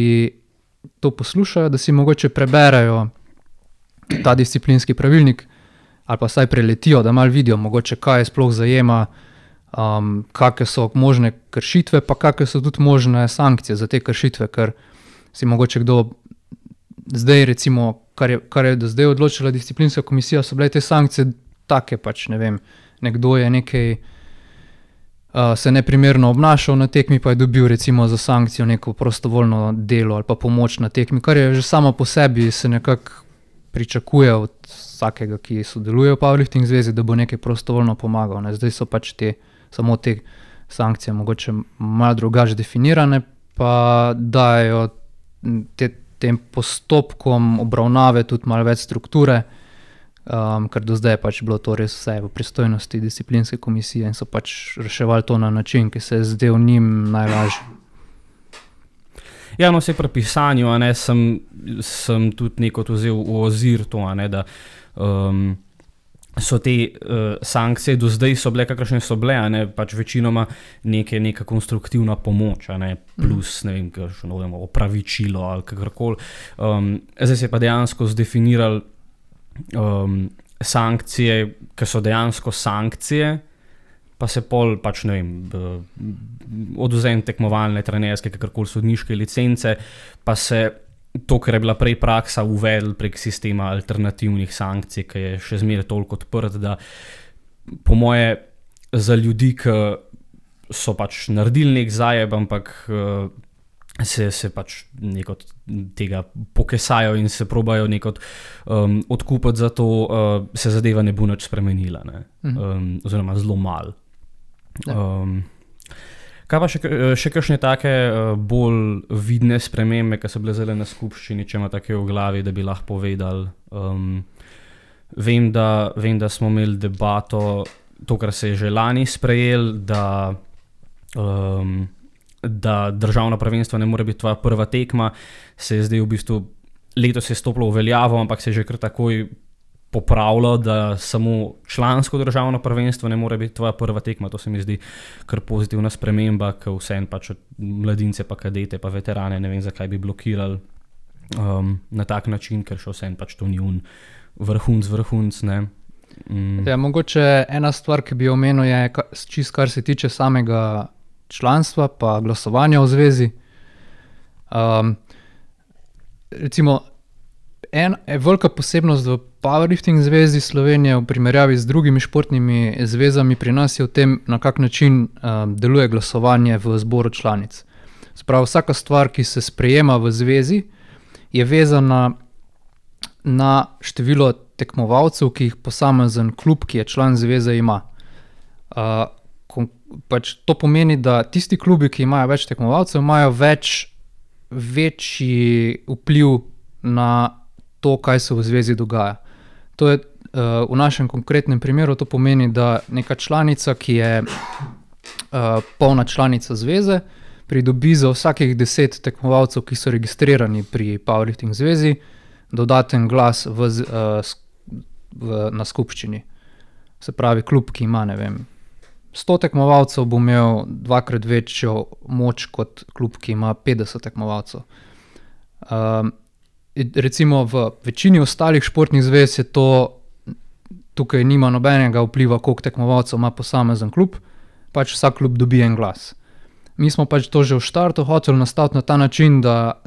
Speaker 2: to poslušajo, da si mogoče preberejo ta disciplinski pravilnik ali pa vsaj preletijo, da malo vidijo mogoče, kaj je sploh zajema, kakve so možne kršitve, pa kakve so tudi možne sankcije za te kršitve, ker si mogoče kdo zdaj recimo, kar je do zdaj odločila disciplinska komisija, so bile te sankcije take pač, ne vem, nekdo je nekaj se neprimerno obnašal na tekmi, pa je dobil recimo za sankcijo neko prostovoljno delo ali pa pomoč na tekmi, kar je že samo po sebi se nekako pričakuje od vsakega, ki sodeluje v Powerlifting zvezi, da bo nekaj prostovoljno pomagal. Ne? Zdaj so pač samo te sankcije mogoče malo drugače definirane, pa dajo tem postopkom obravnave tudi malo več strukture, ker do zdaj je pač bilo to res vse v pristojnosti disciplinske komisije in so pač reševali to na način, ki se je zdel njim najlažji.
Speaker 1: Ja, no, vse pri pisanju, a ne, sem tudi nekot vzel v ozir to, a ne, da so te sankcije do zdaj so bile, kakršne so bile, a ne, pač večinoma neka konstruktivna pomoč, a ne, plus, ne vem, kakšno opravičilo ali kakorkoli. Zdaj se je pa dejansko zdefinirali sankcije, ki so dejansko sankcije, pa se pol pač, ne vem, odvzem tekmovalne, trenerske, kakorkoli sodniške licence, pa se to, kar je bila prej praksa, uvedli prek sistema alternativnih sankcij, ki je še zmeraj toliko odprt, da po moje za ljudi, ki so pač naredili nek zajeb, ampak se pač nekot tega pokesajo in se probajo nekot odkupiti za to, se zadeva ne bo nič spremenila, ne? Oziroma zelo malo. Kaj pa še kakšne take bolj vidne spremembe, ki so bile zdaj na skupščini, če ima take v glavi, da bi lahko povedali? Vem, da smo imeli debato, to, kar se je že lani sprejel, da državno prvenstvo ne more biti tvoja prva tekma, se je zdaj v bistvu letos je stopilo v veljavo, ampak se je že kar takoj popravilo, da samo člansko državno prvenstvo ne more biti tvoja prva tekma. To se mi zdi kar pozitivna sprememba, ker vseeno pač mladince pa kadete pa veterane ne vem, zakaj bi blokirali na tak način, ker še vseeno pač to ni vrhunc, ne.
Speaker 2: Ja, mogoče ena stvar, ki bi jo omenil, je čisto kar se tiče samega članstva pa glasovanja v zvezi. Recimo, velika posebnost v Powerlifting zvezi Slovenije v primerjavi z drugimi športnimi zvezami pri nas je v tem, na kak način deluje glasovanje v zboru članic. Se pravi, vsaka stvar, ki se sprejema v zvezi, je vezana na število tekmovalcev, ki jih posamezen klub, ki je član zveze, ima. Pač to pomeni, da tisti klubi, ki imajo več tekmovalcev, imajo večji vpliv na to, kaj se v zvezi dogaja. To je v našem konkretnem primeru, to pomeni, da neka članica, ki je polna članica zveze, pridobi za vsakih 10 tekmovalcev, ki so registrirani pri Powerlifting zvezi, dodaten glas na skupščini. Se pravi, klub, ki ima, ne vem, 100 tekmovalcev, bo imel dvakrat večjo moč kot klub, ki ima 50 tekmovalcev. Recimo v večini ostalih športnih zvez je to, tukaj nima nobenega vpliva, koliko tekmovalcev ima posamezen klub, pač vsak klub dobi en glas. Mi smo pač to že v štartu hoteli nastaviti na ta način, da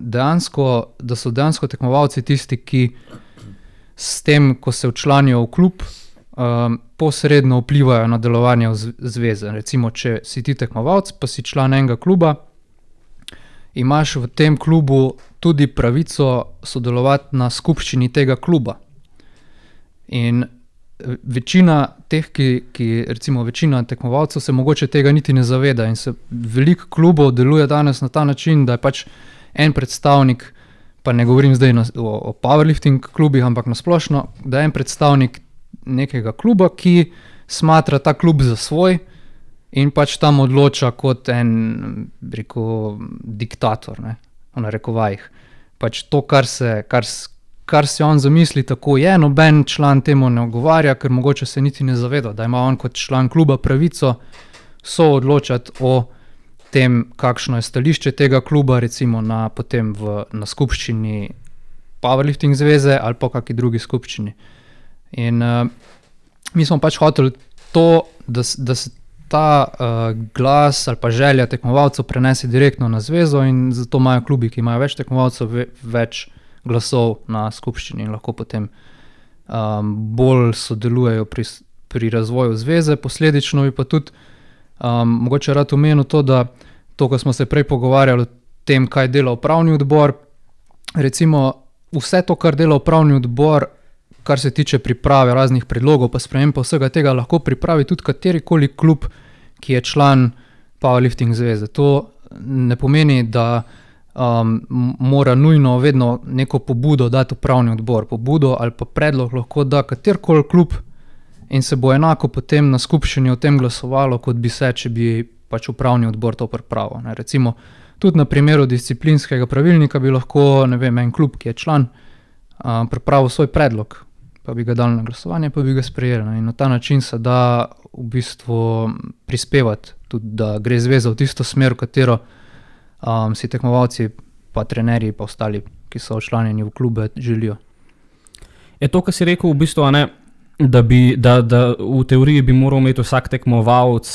Speaker 2: so dejansko tekmovalci tisti, ki s tem, ko se včlanijo v klub, posredno vplivajo na delovanje zveze. Recimo, če si ti tekmovalc, pa si član enega kluba, imaš v tem klubu tudi pravico sodelovati na skupščini tega kluba. In večina teh, recimo večina tekmovalcev se mogoče tega niti ne zaveda in se veliko klubov deluje danes na ta način, da je pač en predstavnik, pa ne govorim zdaj o powerlifting klubih, ampak na splošno, da je en predstavnik nekega kluba, ki smatra ta klub za svoj in pač tam odloča kot en, rekel, diktator, ne, v narekovajih. Pač to, kar si on zamisli, tako je, noben član temu ne ogovarja, ker mogoče se niti ne zaveda, da ima on kot član kluba pravico soodločati o tem, kakšno je stališče tega kluba, recimo potem na skupščini Powerlifting zveze ali pa kakšni drugi skupščini. In mi smo pač hoteli to, da se ta glas ali pa želja tekmovalcev prenese direktno na zvezo in zato imajo klubi, ki imajo več tekmovalcev, več glasov na skupščini in lahko potem bolj sodelujejo pri razvoju zveze. Posledično bi pa tudi mogoče rad omenil to, da to, ko smo se prej pogovarjali o tem, kaj dela upravni odbor, recimo vse to, kar dela upravni odbor, kar se tiče priprave raznih predlogov pa sprememb pa vsega tega, lahko pripravi tudi katerikoli klub, ki je član Powerlifting zveze. To ne pomeni, da mora nujno vedno neko pobudo dati upravni odbor. Pobudo ali pa predlog lahko da katerikoli klub in se bo enako potem na skupščini o tem glasovalo, kot bi se, če bi pač upravni odbor to pripravil. Ne. Recimo tudi na primeru disciplinskega pravilnika bi lahko, ne vem, en klub, ki je član, pripravil svoj predlog, pa bi ga dali na glasovanje, pa bi ga sprejeli. Ne. In na ta način se da v bistvu prispevati tudi, da gre zveza v tisto smer, v katero si tekmovalci, pa trenerji, pa ostali, ki so včlanjeni v klube, želijo.
Speaker 1: Je to, kar si rekel, v bistvu, ne, da v teoriji bi moral imeti vsak tekmovalec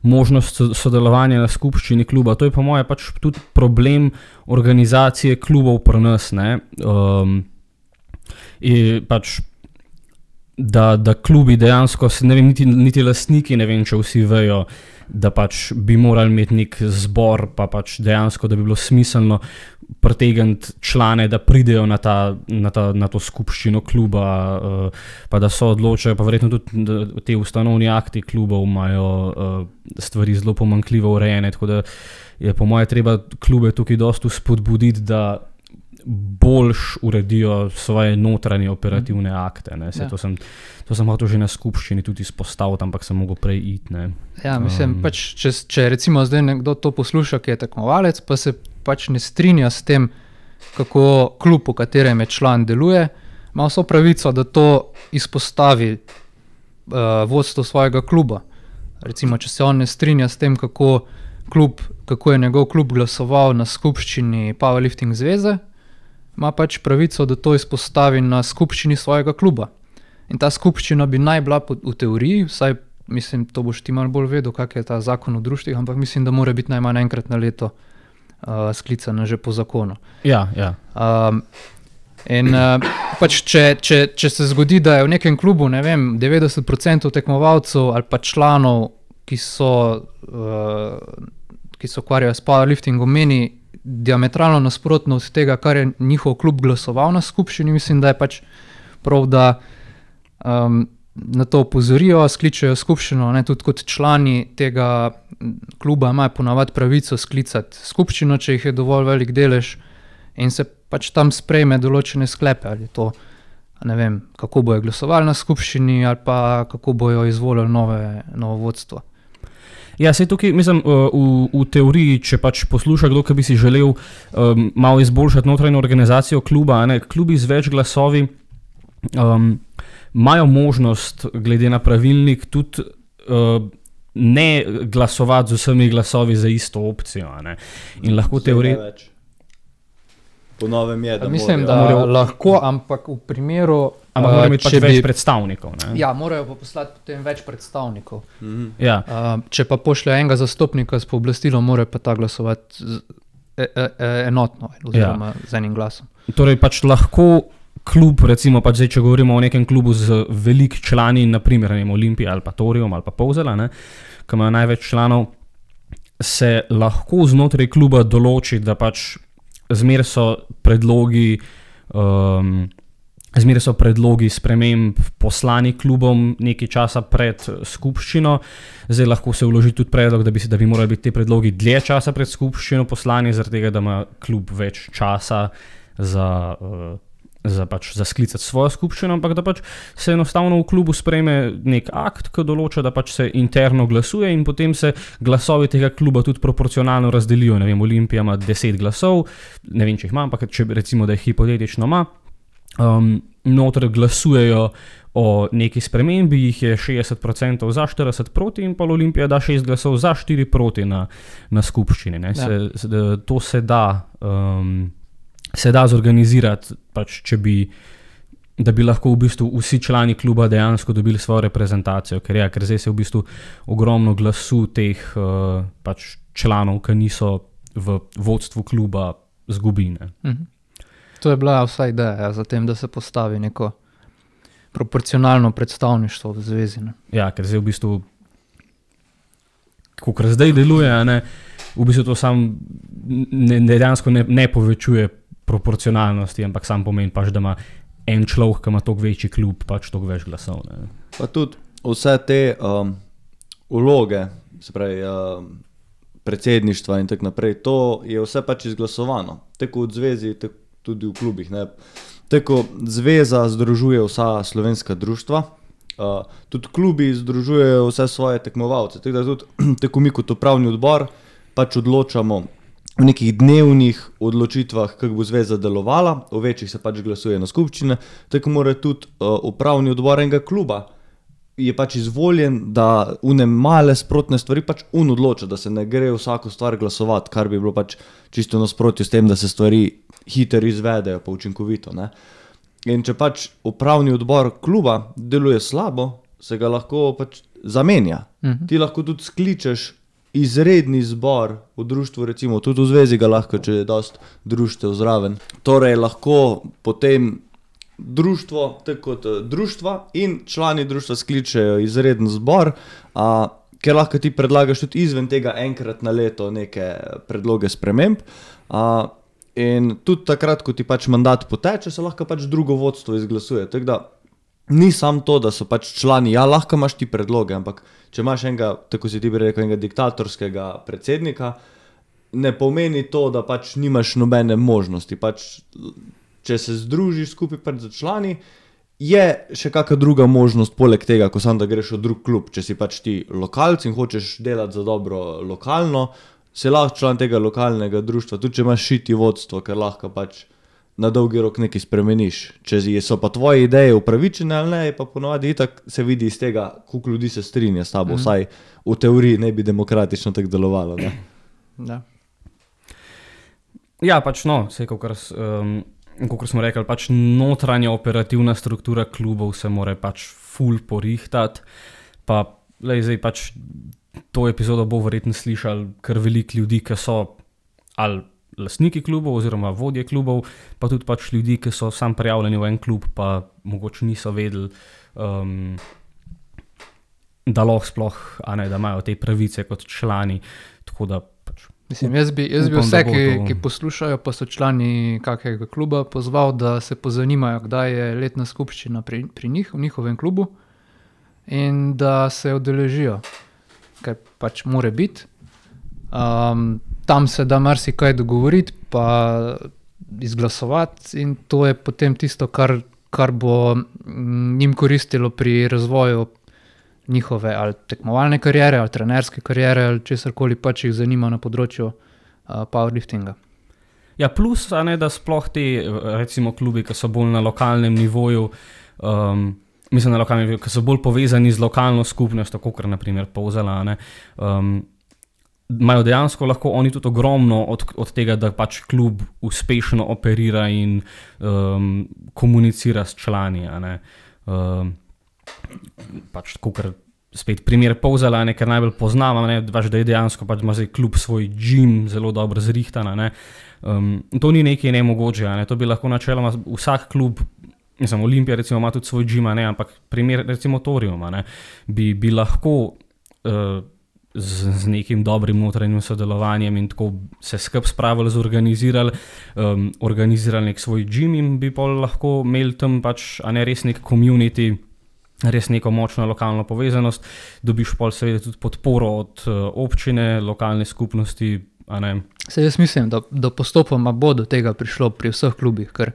Speaker 1: možnost sodelovanja na skupščini kluba. To je po moje pač tudi problem organizacije klubov pri nas, ne. Pač, da klubi dejansko, ne vem, niti lastniki, ne vem, če vsi vejo, da pač bi morali imeti nek zbor, pa pač dejansko, da bi bilo smiselno pritegniti člane, da pridejo na to skupščino kluba, pa da so odločajo, pa verjetno tudi te ustanovni akti klubov imajo stvari zelo pomanjkljivo urejene, tako da je po moje treba klube tukaj dosti spodbuditi, da boljš uredijo svoje notranje operativne akte. Ne. To sem hotel že na skupščini tudi izpostaviti, ampak sem mogel prej iti. Ne.
Speaker 2: Ja, mislim, pač, če recimo zdaj nekdo to posluša, ki je tekmovalec, pa se pač ne strinja s tem, kako klub, v katerem je član, deluje, ima vso pravico, da to izpostavi vodstvo svojega kluba. Recimo, če se on ne strinja s tem, kako je njegov klub glasoval na skupščini Powerlifting zveze, ima pač pravico, da to izpostavi na skupščini svojega kluba. In ta skupščina bi naj bila v teoriji, vsaj mislim, to boš ti malo bolj vedel, kak je ta zakon o društvih, ampak mislim, da mora biti najmanj enkrat na leto sklicana že po zakonu.
Speaker 1: Ja.
Speaker 2: In pač če se zgodi, da je v nekem klubu, ne vem, 90% tekmovalcev ali pa članov, ki se ukvarjajo s powerliftingom, meni diametralno nasprotno od tega, kar je njihov klub glasoval na skupščini, mislim, da je pač prav, da na to opozorijo, skličejo skupščino, ne, tudi kot člani tega kluba imajo ponavadi pravico sklicati skupščino, če jih je dovolj velik delež in se pač tam sprejme določene sklepe, ali to, ne vem, kako bojo glasovali na skupščini ali pa kako bojo izvolili novo vodstvo.
Speaker 1: Ja, sej tukaj, mislim, v teoriji, če pač posluša kdo, ki bi si želel malo izboljšati notranjo organizacijo kluba, ne, klubi z več glasovi imajo možnost, glede na pravilnik, tudi ne glasovati z vsemi glasovi za isto opcijo. Ne. In lahko
Speaker 3: Po novem je, da
Speaker 2: mislim, da lahko, ampak v primeru...
Speaker 1: Ampak morajo imeti pač več predstavnikov. Ne?
Speaker 2: Ja, morajo pa poslati potem več predstavnikov.
Speaker 1: Ja.
Speaker 2: Če pa pošlje enega zastopnika s pooblastilom, mora pa ta glasovati enotno, oziroma z enim glasom.
Speaker 1: Torej pač lahko klub, recimo pač zdaj, če govorimo o nekem klubu z velik člani, naprimer Olimpija ali pa Torium ali pa Polzela, ki imajo največ članov, se lahko znotraj kluba določi, da pač zmeraj so predlogi sprememb poslani klubom nekaj časa pred skupščino. Zdaj lahko se vloži tudi predlog, da bi morali biti te predlogi dlje časa pred skupščino poslani, zaradi tega, da ima klub več časa za za sklicati svojo skupščino, ampak da pač se enostavno v klubu sprejme nek akt, ki določa, da pač se interno glasuje in potem se glasovi tega kluba tudi proporcionalno razdelijo. Ne vem, Olimpija ima 10 glasov, ne vem, če jih ima, ampak če recimo, da jih hipotetično ima, noter glasujejo o neki spremembi, jih je 60% za, 40 proti in pa Olimpija da 6 glasov za, 4 proti na skupščini. Ne. To se da zorganizirati, pač, da bi lahko v bistvu vsi člani kluba dejansko dobili svojo reprezentacijo, ker zdaj se v bistvu ogromno glasu teh pač članov, ki niso v vodstvu kluba, zgubi.
Speaker 2: To je bila vsa ideja za tem, da se postavi neko proporcionalno predstavništvo v zvezi. Ne?
Speaker 1: Ja, ker zdaj v bistvu, kakor zdaj deluje, v bistvu to sam dejansko ne povečuje proporcionalnosti, ampak sam pomeni pač, da ima en človek, ki ima toliko večji klub, pač toliko več glasov. Ne.
Speaker 3: Pa tudi vse te vloge, se pravi predsedništva in tako naprej, to je vse pač izglasovano. Tako v zvezi, tudi v klubih. Ne. Tako zveza združuje vsa slovenska društva, tudi klubi združujejo vse svoje tekmovalce. Tako da tudi tako mi kot upravni odbor pač odločamo v nekih dnevnih odločitvah, kako bo zveza delovala, o večjih se pač glasuje na skupščine, tako mora tudi upravni odbor enega kluba je pač izvoljen, da une male sprotne stvari pač odloča, da se ne gre vsako stvar glasovati, kar bi bilo pač čisto nasprotju s tem, da se stvari hitro izvedejo pa učinkovito. Ne? In če pač upravni odbor kluba deluje slabo, se ga lahko pač zamenja. Ti lahko tudi skličeš izredni zbor v društvu, recimo tudi v zvezi ga lahko, če je dosti društev zraven. Torej lahko potem društvo, tako kot društva in člani društva skličejo izreden zbor, ker lahko ti predlagaš tudi izven tega enkrat na leto neke predloge sprememb. In tudi takrat, ko ti pač mandat poteče, se lahko pač drugo vodstvo izglasuje. Tako da ni samo to, da so pač člani, ja, lahko imaš ti predloge, ampak če imaš enega, tako si ti bi rekel, enega diktatorskega predsednika, ne pomeni to, da pač nimaš nobene možnosti. Pač, če se združiš skupaj pač za člani, je še kakšna druga možnost poleg tega, ko samo da greš v drug klub. Če si pač ti lokalc in hočeš delati za dobro lokalno, si lahko član tega lokalnega društva, tudi če imaš šiti vodstvo, ker lahko pač na dolgi rok nekaj spremeniš. Če so pa tvoje ideje upravičene ali ne, pa ponovadi itak se vidi iz tega, koliko ljudi se strinja s tabo, vsaj v teoriji ne bi demokratično tako delovalo. Ne?
Speaker 2: Da.
Speaker 1: Ja, pač vse, kakor smo rekli, pač notranja operativna struktura klubov se mora pač ful porihtati, pa zdaj pač to epizodo bo verjetno slišali kar veliko ljudi, ki so ali lastniki klubov oziroma vodje klubov, pa tudi pač ljudi, ki so sam prijavljeni v en klub, pa mogoče niso vedeli, da lahko sploh, da imajo te pravice kot člani, tako da pač...
Speaker 2: Mislim, jaz bi vse, ki poslušajo, pa so člani kakega kluba, pozval, da se pozanimajo, kdaj je letna skupščina pri njih, v njihovem klubu, in da se udeležijo, ker pač more biti. Tam se da marsikaj dogovoriti, pa izglasovati in to je potem tisto, kar bo njim koristilo pri razvoju njihove ali tekmovalne kariere, ali trenerske kariere, ali česarkoli pač jih zanima na področju powerliftinga.
Speaker 1: Ja, plus, da sploh ti, recimo, klubi, ki so bolj na lokalnem nivoju, mislim na lokalnem nivoju, ki so bolj povezani z lokalno skupnostjo, kot na primer Polzela, imajo dejansko lahko oni tudi ogromno od tega, da pač klub uspešno operira in komunicira s člani. Pač tako, ker spet primer Polzela, ker najbolj poznam, da je dejansko pač ima zdaj klub svoj gym zelo dobro zrihtan. To ni nekaj nemogoče, to bi lahko načeloma vsak klub, mislim, Olimpija recimo ima tudi svoj gym, ampak primer recimo Torium, bi lahko z nekim dobrim notranjim sodelovanjem in tako se skupaj spravili, organizirali nek svoj gym in bi pa lahko imeli tam pač, res nek community, res neko močno lokalno povezanost, dobiš pol seveda tudi podporo od občine, lokalne skupnosti.
Speaker 2: Saj jaz mislim, da postopoma bo do tega prišlo pri vseh klubih, ker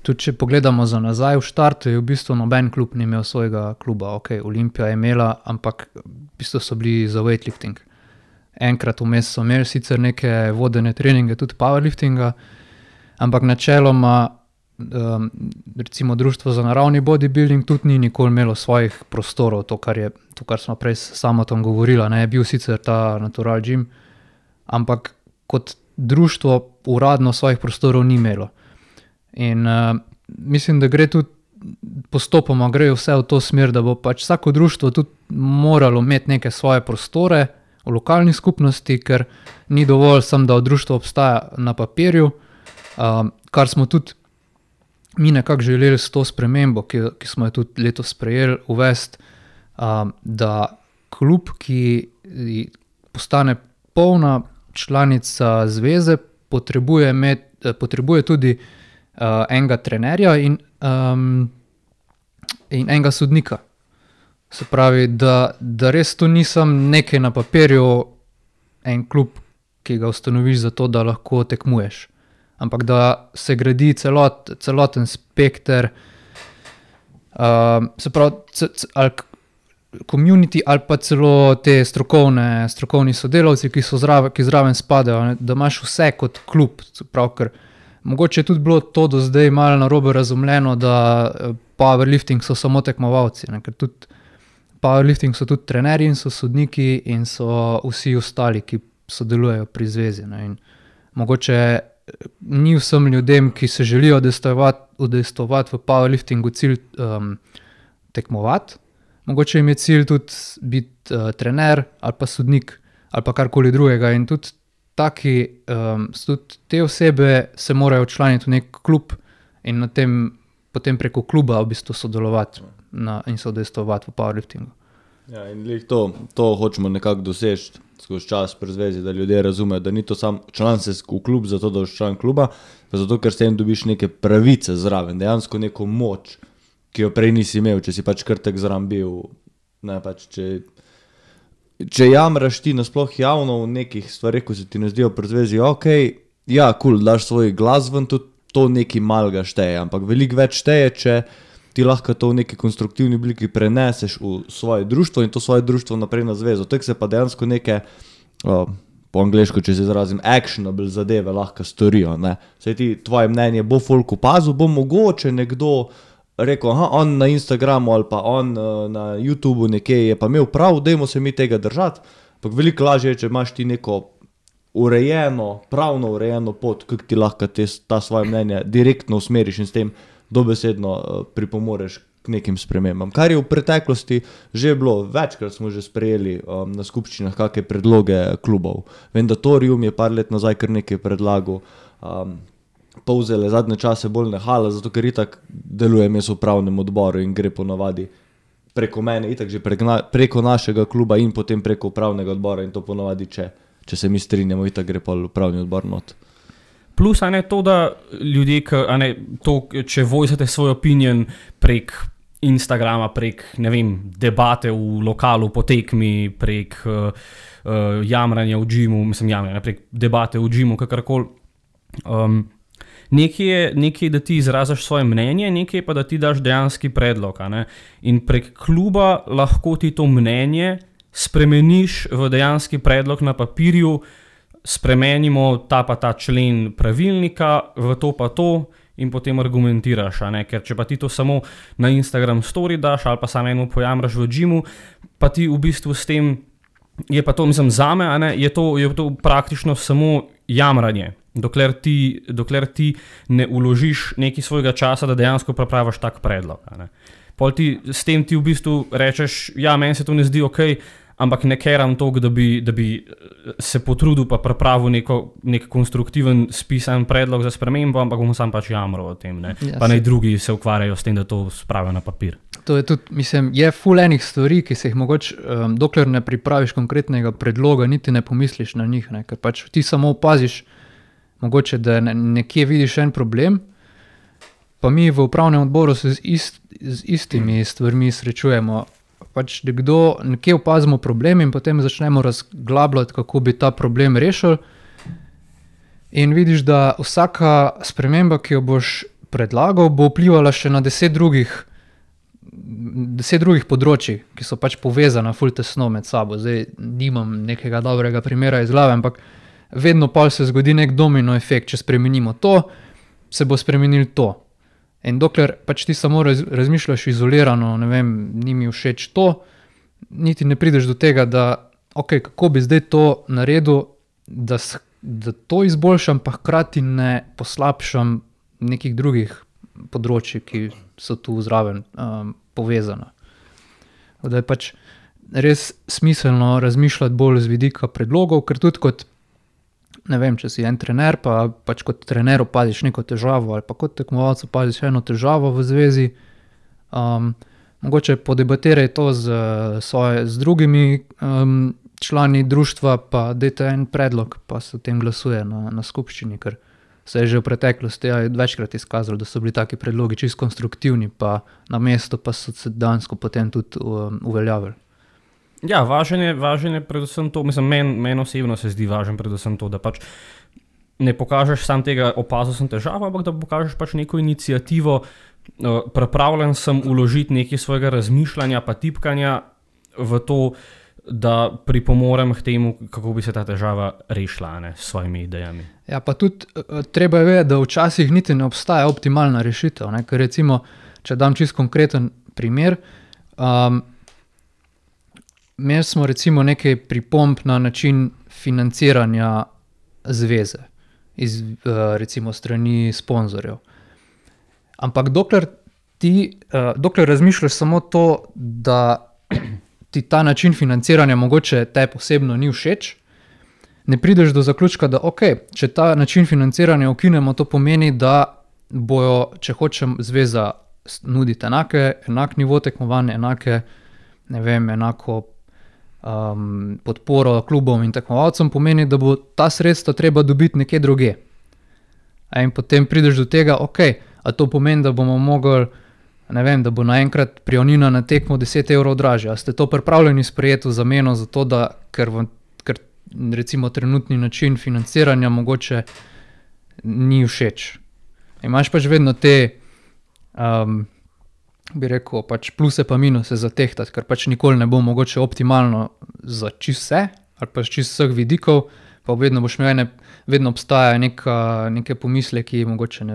Speaker 2: tudi če pogledamo za nazaj, v štartu je v bistvu noben klub ni imel svojega kluba. Ok, Olimpija je imela, ampak v bistvu so bili za weightlifting. Enkrat vmes so imeli sicer neke vodene treninge, tudi powerliftinga, ampak načeloma recimo Društvo za naravni bodybuilding tudi ni nikoli imelo svojih prostorov, to, kar smo prej s Samotom govorila, ne, je bil sicer ta Natural Gym, ampak kot društvo uradno svojih prostorov ni imelo. In mislim, da gre tudi postopoma, grejo vse v to smer, da bo pač vsako društvo tudi moralo imeti neke svoje prostore v lokalni skupnosti, ker ni dovolj samo, da društvo obstaja na papirju, kar smo tudi mi nekako želeli s to spremembo, ki smo jo tudi letos sprejeli, uvesti, da klub, ki postane polna članica zveze, potrebuje tudi enega trenerja in enega sodnika. Se pravi, da res to nisem nekaj na papirju, en klub, ki ga ustanoviš za to, da lahko tekmuješ. Ampak da se gradi celoten spekter, se pravi, ali community ali pa celo te strokovni sodelavci, ki zraven spadajo, da imaš vse kot klub. Se pravi, ker mogoče je tudi bilo to do zdaj malo narobe razumljeno, da powerlifting so samo tekmovalci, ne, ker tudi powerlifting so tudi trenerji in so sodniki in so vsi ostali, ki sodelujejo pri zvezi. Ne, in mogoče ni vsem ljudem, ki se želijo udejstvovati v powerliftingu, cilj tekmovati. Mogoče jim je cilj tudi biti trener ali pa sodnik ali pa karkoli drugega in tudi tudi te osebe se morajo včlaniti v nek klub in potem preko kluba v bistvu sodelovati in se udejstvovati v powerliftingu.
Speaker 3: Ja, in to hočemo nekako doseči skozi čas pri zvezi, da ljudje razumejo, da ni to sam član se v klub zato, da boš član kluba, pa zato, ker s tem dobiš neke pravice zraven, dejansko neko moč, ki jo prej nisi imel, če si pač krtek zraven bil, ne pač, če jamraš ti nasploh javno v nekih stvarih, ko se ti ne zdijo pri zvezi, ok, ja, cool, daš svoj glas ven, tudi to nekaj malega šteje, ampak veliko več šteje, če ti lahko to v neki konstruktivni obliki preneseš v svoje društvo in to svoje društvo naprej na zvezo. Tako se pa dejansko neke, po angleško, če se izrazim, actionable zadeve lahko storijo, ne. Saj ti, tvoje mnenje bo folk opazil, bo mogoče nekdo rekel, on na Instagramu ali pa on na YouTubeu nekje je pa imel prav, dajmo se mi tega držati, ampak veliko lažje je, če imaš ti neko pravno urejeno pot, kako ti lahko ta svoje mnenje direktno usmeriš in s tem dobesedno pripomoreš k nekim spremembam. Kar je v preteklosti že bilo, večkrat smo že sprejeli na skupščinah kakšne predloge klubov. Vem, da Torium je par let nazaj kar nekaj predlagal, Polzele zadnje čase bolj nehala, zato ker itak delujem jaz v upravnem odboru in gre ponavadi preko mene, itak že preko našega kluba in potem preko upravnega odbora in to ponavadi, če se mi strinjamo, itak gre pa upravni odbor not.
Speaker 1: Plus, to, da ljudje, če vojsate svoj opinion prek Instagrama, prek, ne vem, debate v lokalu po tekmi, prek jamranja v džimu, prek debate v džimu, kakorkoli. Nekaj je, da ti izražaš svoje mnenje, nekaj pa, da ti daš dejanski predlog. In prek kluba lahko ti to mnenje spremeniš v dejanski predlog na papirju, spremenimo ta člen pravilnika v to pa to in potem argumentiraš, ker če pa ti to samo na Instagram story daš ali pa samo eno pojamraš v džimu, pa ti v bistvu s tem, je pa to, zame, je to praktično samo jamranje, dokler ti ne vložiš nekaj svojega časa, da dejansko pripraviš tak predlog. Pol s tem ti v bistvu rečeš, ja, meni se to ne zdi okej, ampak ne keram toliko, da bi se potrudil pa pripravil nek konstruktiven spisan predlog za spremembo, ampak bom sam pač jamral o tem, pa naj drugi se ukvarjajo s tem, da to spravijo na papir.
Speaker 2: To je tudi, je ful enih stvari, ki se jih mogoče, dokler ne pripraviš konkretnega predloga, niti ne pomisliš na njih, ker pač ti samo opaziš, mogoče, da nekje vidiš en problem, pa mi v upravnem odboru se z istimi stvarmi srečujemo. Pač nekje opazimo problem in potem začnemo razglabljati, kako bi ta problem rešili. In vidiš, da vsaka sprememba, ki jo boš predlagal, bo vplivala še na 10 drugih področji, ki so pač povezana ful tesno med sabo. Zdaj nimam nekega dobrega primera iz glave, ampak vedno pa se zgodi nek domino efekt. Če spremenimo to, se bo spremenil to. In dokler pač ti samo razmišljaš izolirano, ne vem, ni mi všeč to, niti ne prideš do tega, da kako bi zdaj to naredil, da to izboljšam, pa hkrati ne poslabšam nekih drugih področji, ki so tu zraven povezana. Da je pač res smiselno razmišljati bolj z vidika predlogov, ker tudi kot, ne vem, če si en trener, pa pač kot trener opaziš neko težavo ali pa kot tekmovalec opaziš eno težavo v zvezi, mogoče podebatiraj to z drugimi člani društva, pa dajte en predlog, pa se o tem glasuje na skupščini, ker se je že v preteklosti večkrat izkazalo, da so bili taki predlogi čisto konstruktivni, pa na mesto pa so se dejansko potem tudi uveljavili.
Speaker 1: Ja, važen je predvsem to, mislim, meni osebno se zdi važen predvsem to, da pač ne pokažeš sam tega, opazil sem težavo, ampak da pokažeš pač neko iniciativo, pripravljen sem vložiti nekaj svojega razmišljanja pa tipkanja v to, da pripomorem k temu, kako bi se ta težava rešila, s svojimi idejami.
Speaker 2: Ja, pa tudi treba je vedeti, da včasih niti ne obstaja optimalna rešitev, ker recimo, če dam čisto konkreten primer, imeli smo recimo nekaj pripomb na način financiranja zveze, recimo strani sponzorjev. Ampak dokler razmišljaš samo to, da ti ta način financiranja mogoče tebi osebno ni všeč, ne prideš do zaključka, da če ta način financiranja ukinemo, to pomeni, da bojo, če hočem, zveza nuditi enak nivo tekmovanja, enako podporo klubom in tekmovalcem, pomeni, da bo ta sredstva treba dobiti nekje drugje. In potem prideš do tega, a to pomeni, da bomo mogli, da bo naenkrat prijavnina na tekmo 10 evrov dražja. A ste to pripravljeni sprejeti v zameno za to, da ker recimo trenutni način financiranja mogoče ni všeč. Imaš pač vedno te, bi rekel, pač pluse pa minuse za tehtati, ker pač nikoli ne bo mogoče optimalno za čisto vse, ali pa čisto vseh vidikov, pa vedno obstaja neke pomisleki, mogoče,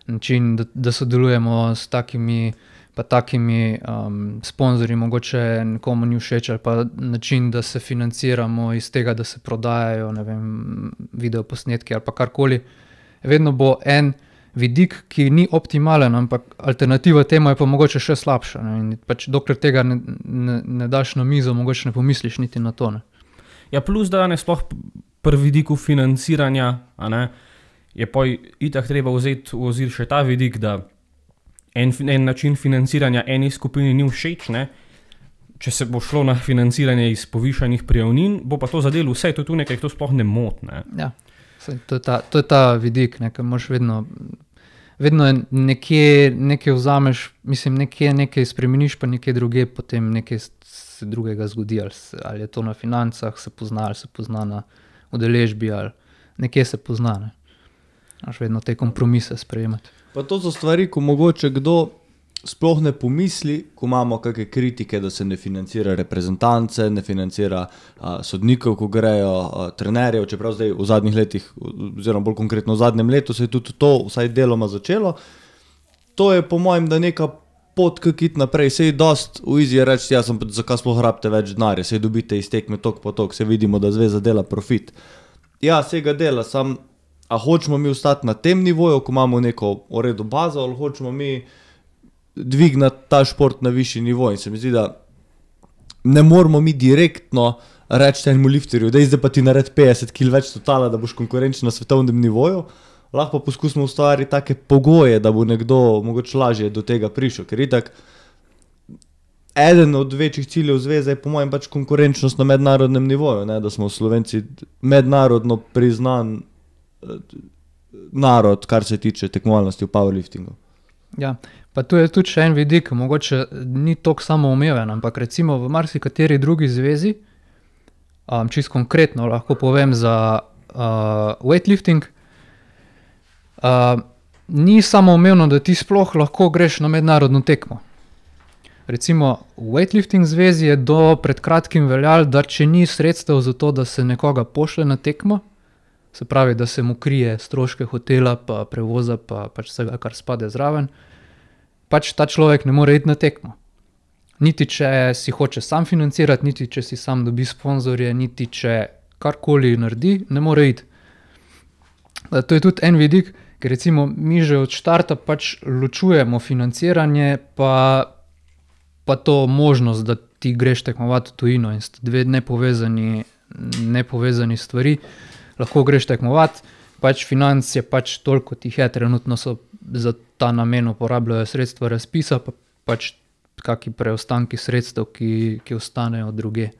Speaker 2: način, da sodelujemo s takimi pa takimi sponzorji, mogoče nekomu ni všeč, ali pa način, da se financiramo iz tega, da se prodajajo, videoposnetki ali pa karkoli. Vedno bo en vidik, ki ni optimalen, ampak alternativa temu je pa mogoče še slabša. In pač dokler tega ne daš na mizo, mogoče ne pomisliš niti na to.
Speaker 1: Ja, plus da sploh pri vidiku financiranja, je pa itak treba vzeti v ozir še ta vidik, da en način financiranja eni skupini ni všeč, če se bo šlo na financiranje iz povišanih prijavnin, bo pa to zadelo vse, to je tu nekaj, to sploh ne moti.
Speaker 2: Ja, to je ta vidik, ker moraš vedno nekaj vzameš, nekaj spremeniš, pa nekaj druge, potem nekaj se drugega zgodi, ali je to na financah, se pozna na udeležbi, ali nekje se pozna. Moraš vedno te kompromise sprejemati.
Speaker 3: Pa to so stvari, ko mogoče kdo sploh ne pomisli, ko imamo kakšne kritike, da se ne financira reprezentance, ne financira sodnikov, ko grejo, trenerjev, čeprav zdaj v zadnjih letih, oziroma bolj konkretno v zadnjem letu, se je tudi to vsaj deloma začelo. To je po mojem, da neka pot kakit naprej, sej dost v izi je reči, zakaj sploh rabite več denarja, sej dobite iz tekme tok po tok, sej vidimo, da zveza dela profit. Ja, sej ga dela, a hočemo mi ostati na tem nivoju, ko imamo neko uredu bazo, ali hočemo mi dvignati ta šport na višji nivo. In se mi zdi, da ne moramo mi direktno reči enemu lifterju, da zdaj pa ti naredi 50 kg več totala, da boš konkurenčen na svetovnem nivoju. Lahko pa poskusimo ustvariti take pogoje, da bo nekdo mogoče lažje do tega prišel. Ker itak eden od večjih ciljev zveze je po mojem pač konkurenčnost na mednarodnem nivoju, da smo Slovenci mednarodno priznan narod, kar se tiče tekmovalnosti v powerliftingu.
Speaker 2: Ja, pa tu je tudi še en vidik, mogoče ni toliko samoumeven, ampak recimo v marsikateri drugi zvezi, čisto konkretno lahko povem za weightlifting, ni samoumevno, da ti sploh lahko greš na mednarodno tekmo. Recimo v weightlifting zvezi je do pred kratkim veljalo, da če ni sredstev za to, da se nekoga pošle na tekmo, se pravi, da se mu krije stroške hotela, pa prevoza, pa pač vsega, kar spade zraven, pač ta človek ne more iti na tekmo. Niti če si hoče sam financirati, niti če si sam dobi sponzorje, niti če karkoli naredi, ne more iti. To je tudi en vidik, ker recimo mi že od štarta pač ločujemo financiranje pa to možnost, da ti greš tekmovati v tujino in sta dve nepovezani stvari. Lahko greš tekmovati, pač financ je pač toliko, kot jih je, trenutno so za ta namen uporabljajo sredstva razpisa, pa pač kakšni preostanki sredstev, ki ostanejo druge.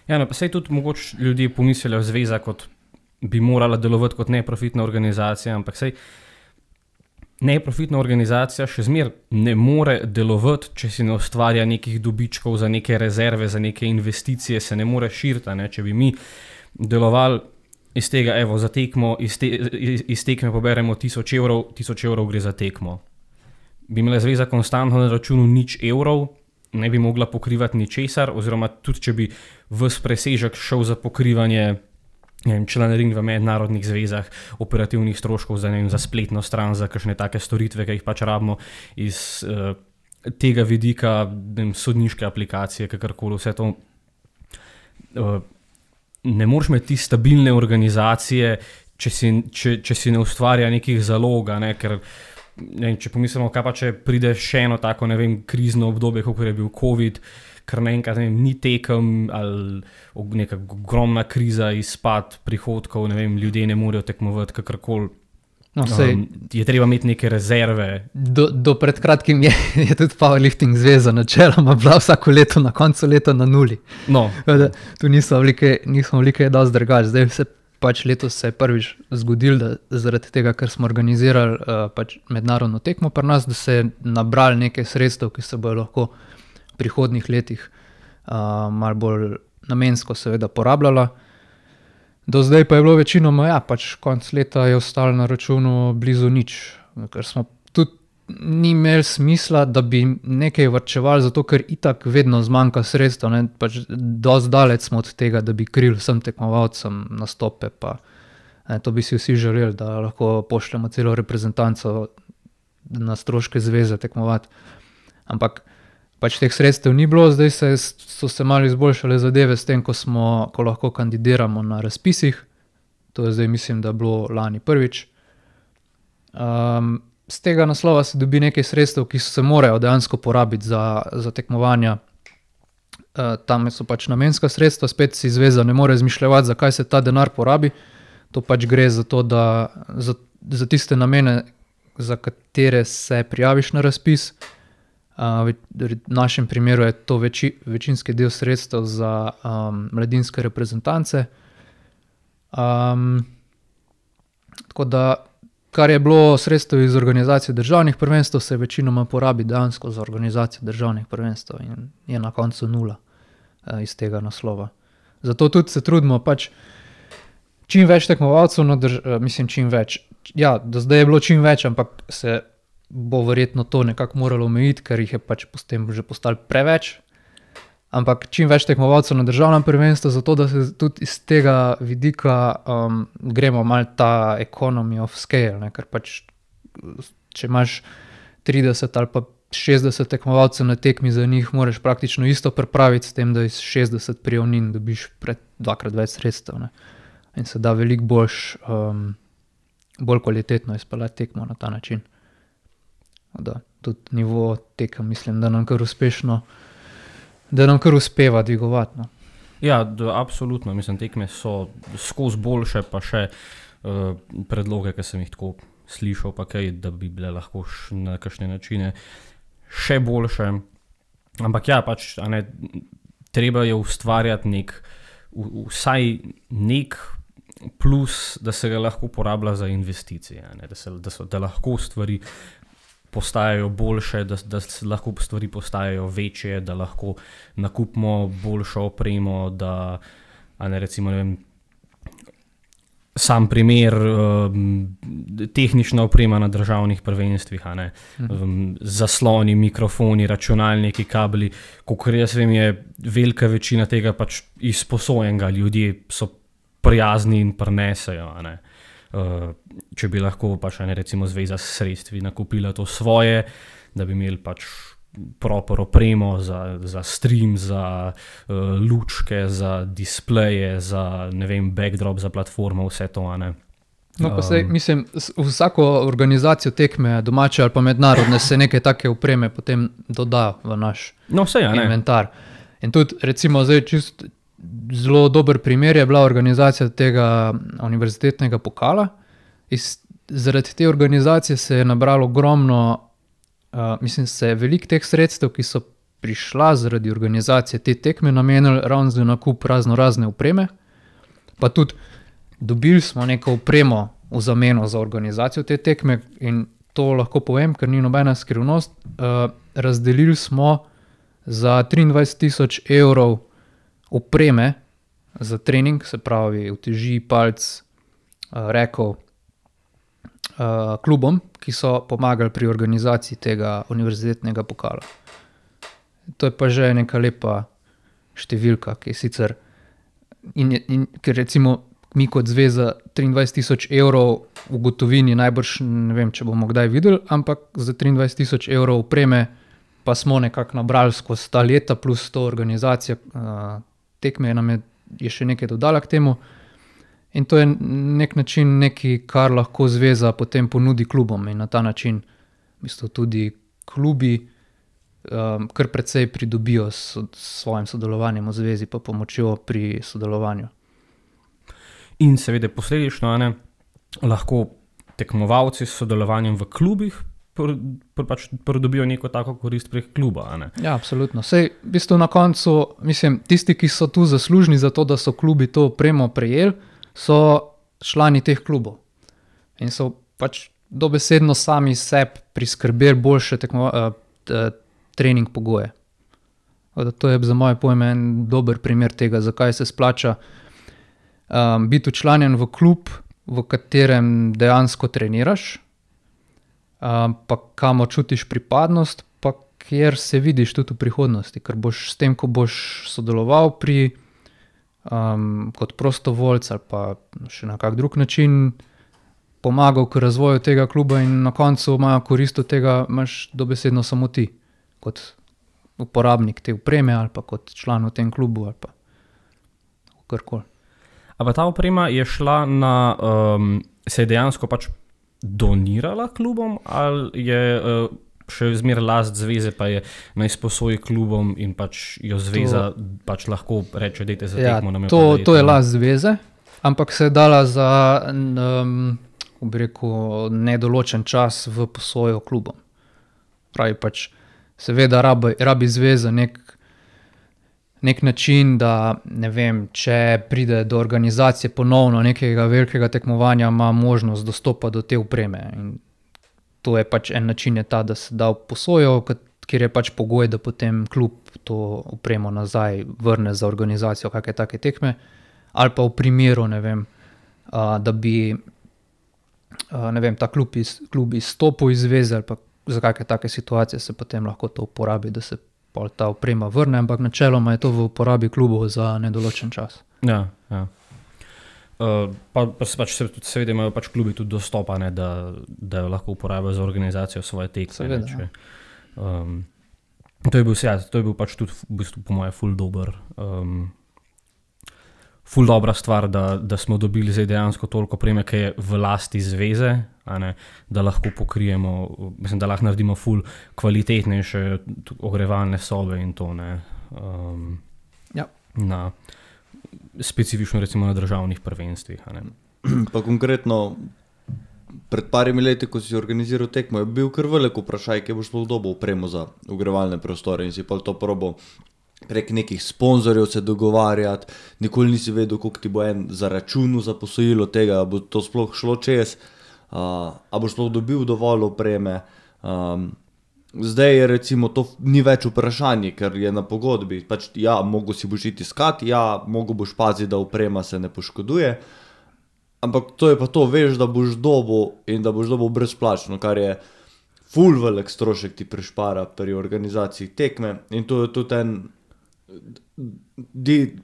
Speaker 1: Ja, no, pa sej tudi mogoče ljudje pomislijo zveza, kot bi morala delovati kot neprofitna organizacija, ampak sej neprofitna organizacija še zmer ne more delovati, če si ne ustvarja nekih dobičkov za neke rezerve, za neke investicije, se ne more širiti, ne? Če bi mi delovali iz tega, evo, za tekmo, iz tekme poberemo 1000 evrov, 1000 evrov gre za tekmo. Bi imela zveza konstantno na računu 0 evrov, ne bi mogla pokrivati ničesar, oziroma tudi, če bi ves presežek šel za pokrivanje članarin v mednarodnih zvezah, operativnih stroškov za spletno stran, za kakšne take storitve, ki jih pač rabimo iz tega vidika, sodniške aplikacije, kakorkoli vse to. Ne moreš imeti stabilne organizacije, če si ne ustvarja nekih zaloga, ne, ker če pomislimo, kaj pa če pride še eno tako, ne vem, krizno obdobje, kot je bil COVID, ker naenkrat ni tekem ali neka ogromna kriza, izpad prihodkov, ne vem, ljudje ne morejo tekmovati, kakorkoli.
Speaker 2: No,
Speaker 1: je treba imeti neke rezerve.
Speaker 2: Do pred kratkim je tudi powerlifting zveza načeloma bila vsako leto na koncu leta na nuli.
Speaker 1: No.
Speaker 2: Tu nismo velike dosti drugače. Zdaj se pač letos se je prvič zgodilo, da zaradi tega, ker smo organizirali pač mednarodno tekmo pri nas, da se je nabrali nekaj sredstev, ki se bojo lahko v prihodnjih letih malo bolj namensko seveda porabljala. Do zdaj pa je bilo večinoma, pač konc leta je ostalo na računu blizu nič, ker smo tudi ni imeli smisla, da bi nekaj varčevali, zato ker itak vedno zmanjka sredstev, ne, pač dosti daleč smo od tega, da bi krili vsem tekmovalcem nastope, pa to bi si vsi želeli, da lahko pošljemo celo reprezentanco na stroške zveze tekmovati, ampak pač teh sredstev ni bilo, zdaj so se malo izboljšale zadeve s tem, ko lahko kandidiramo na razpisih. To je zdaj, mislim, da bilo lani prvič. Z tega naslova se dobi nekaj sredstev, ki se morajo dejansko porabiti za tekmovanja. Tam so pač namenska sredstva, spet si zveza ne more izmišljevati, zakaj se ta denar porabi. To pač gre za to, da za tiste namene, za katere se prijaviš na razpis. V našem primeru je to večinski del sredstev za mladinske reprezentance. Tako da, kar je bilo sredstev iz organizacije državnih prvenstev, se večinoma porabi dejansko za organizacijo državnih prvenstev in je na koncu nula iz tega naslova. Zato tudi se trudimo pač čim več tekmovalcev, čim več. Ja, do zdaj je bilo čim več, ampak se bo verjetno to nekako moralo omejiti, ker jih je pač potem že postalo preveč. Ampak čim več tekmovalcev na državnem prvenstvu, zato da se tudi iz tega vidika gremo malo ta economy of scale, ne? Ker pač če imaš 30 ali pa 60 tekmovalcev na tekmi, za njih moraš praktično isto pripraviti, s tem, da iz 60 prijavnin dobiš dvakrat več sredstev, ne? In se da veliko bolj kvalitetno izpeljati tekmo na ta način. Da, tudi nivo tekem, mislim, da nam kar uspeva dvigovati. No.
Speaker 1: Ja, absolutno. Mislim, tekme so skozi boljše, pa še predloge, ki sem jih tako slišal, pa kaj, da bi bile lahko na kakšne načine še boljše. Ampak ja, pač, treba je ustvarjati vsaj nek plus, da se ga lahko uporablja za investicije, da lahko stvari postajajo boljše, da lahko stvari postajajo večje, da lahko nakupimo boljšo opremo, da recimo, ne vem, sam primer, tehnična oprema na državnih prvenstvih, a ne, zasloni, mikrofoni, računalniki, kabli, kakor jaz vem, je velika večina tega pač izposojenega, ljudje so prijazni in prinesejo, a ne. Če bi lahko pač, a ne, recimo Zveza s sredstvi nakupila to svoje, da bi imeli pač proper opremo za stream, za lučke, za displeje, za, ne vem, backdrop za platformo, vse to, a ne.
Speaker 2: No, pa sej, mislim, vsako organizacijo tekme, domače ali pa mednarodne, se nekaj take opreme potem doda v naš inventar. In tudi, recimo, zdaj čist zelo dober primer je bila organizacija tega univerzitetnega pokala. Zaradi te organizacije se je nabralo ogromno, mislim, se je veliko teh sredstev, ki so prišla zaradi organizacije te tekme, namenili ravno za nakup razne opreme, pa tudi dobili smo neko opremo v zameno za organizacijo te tekme in to lahko povem, ker ni nobena skrivnost. Razdelili smo za 23,000 evrov opreme za trening, se pravi uteži, palc, rekov, klubom, ki so pomagali pri organizaciji tega univerzitetnega pokala. To je pa že neka lepa številka, ki je sicer, ker recimo mi kot zveza 23,000 evrov v gotovini najbrž, ne vem, če bomo kdaj videli, ampak za 23,000 evrov opreme pa smo nekako nabrali skozi ta leta, plus to organizacija tekme nam je še nekaj dodala k temu. In to je nek način nekaj, kar lahko zveza potem ponudi klubom in na ta način v bistvu tudi klubi kar precej pridobijo s svojim sodelovanjem v zvezi pa pomočjo pri sodelovanju.
Speaker 1: In seveda posledično, a ne, lahko tekmovalci s sodelovanjem v klubih pač pridobijo neko tako korist prek kluba, a ne?
Speaker 2: Ja, absolutno. Sej, v bistvu na koncu, mislim, tisti, ki so tu zaslužni za to, da so klubi to opremo prejeli, so člani teh klubov. In so pač dobesedno sami sebi priskrbeli boljše trening pogoje. To je za moje pojme en dober primer tega, zakaj se splača biti včlanjen v klub, v katerem dejansko treniraš, pa kamor čutiš pripadnost, pa kjer se vidiš tudi v prihodnosti, ker boš s tem, ko boš sodeloval pri kot prostovoljc ali pa še na kak drug način pomagal k razvoju tega kluba in na koncu imajo korist od tega imaš dobesedno samo ti, kot uporabnik te opreme ali pa kot član v tem klubu ali pa karkoli.
Speaker 1: A pa ta oprema je šla na, se je dejansko pač donirala klubom ali je še zmeraj last zveze, pa je na izposoji klubom in pač jo zveza pač lahko reče, dajte za tekmo.
Speaker 2: To je last zveze, ampak se je dala za bi rekel, nedoločen čas v posojo klubom. Pravi pač, seveda rabi zveza nek način, da ne vem, če pride do organizacije ponovno nekega velikega tekmovanja, ima možnost dostopa do te opreme. In to je pač en način je ta, da se da v posojo, kjer je pač pogoj, da potem klub to opremo nazaj vrne za organizacijo kakšne take tekme, ali pa v primeru, ne vem, da bi ne vem, ta klub izstopil iz zveze ali pa za kakšne take situacije se potem lahko to uporabi, da se pol ta oprema vrne, ampak načeloma je to v uporabi klubov za nedoločen čas.
Speaker 1: Ja. Pa se pač seveda imajo pač klubi tudi dostopa, ne, da jo lahko uporabljajo za organizacijo svoje tekme.
Speaker 2: Seveda.
Speaker 1: To je bil pač tudi v bistvu po moje ful dobra stvar, da smo dobili zdaj dejansko toliko opreme, ki je v lasti zveze, a ne, da lahko pokrijemo, mislim, da lahko naredimo ful kvalitetnejše ogrevalne sobe in to, ne.
Speaker 2: Ja.
Speaker 1: Na specifično recimo na državnih prvenstvih, a ne.
Speaker 3: Pa konkretno pred parimi leti, ko si organiziral tekmo, je bil kar velik vprašaj, kje boš sploh dobil opremo za ogrevalne prostore in si pa to probal prek nekih sponzorjev se dogovarjati, nikoli nisi vedel, koliko ti bo en zaračunal za posojilo tega, bo to sploh šlo čez, a boš sploh dobil dovolj opreme. Zdaj je recimo to ni več vprašanje, ker je na pogodbi, pač ja, mogo si boš iti iskat, ja, mogo boš paziti, da oprema se ne poškoduje, ampak to je pa to, veš, da boš dobil in da boš dobil brezplačno, kar je ful velik strošek ti prišpara pri organizaciji tekme in to je tudi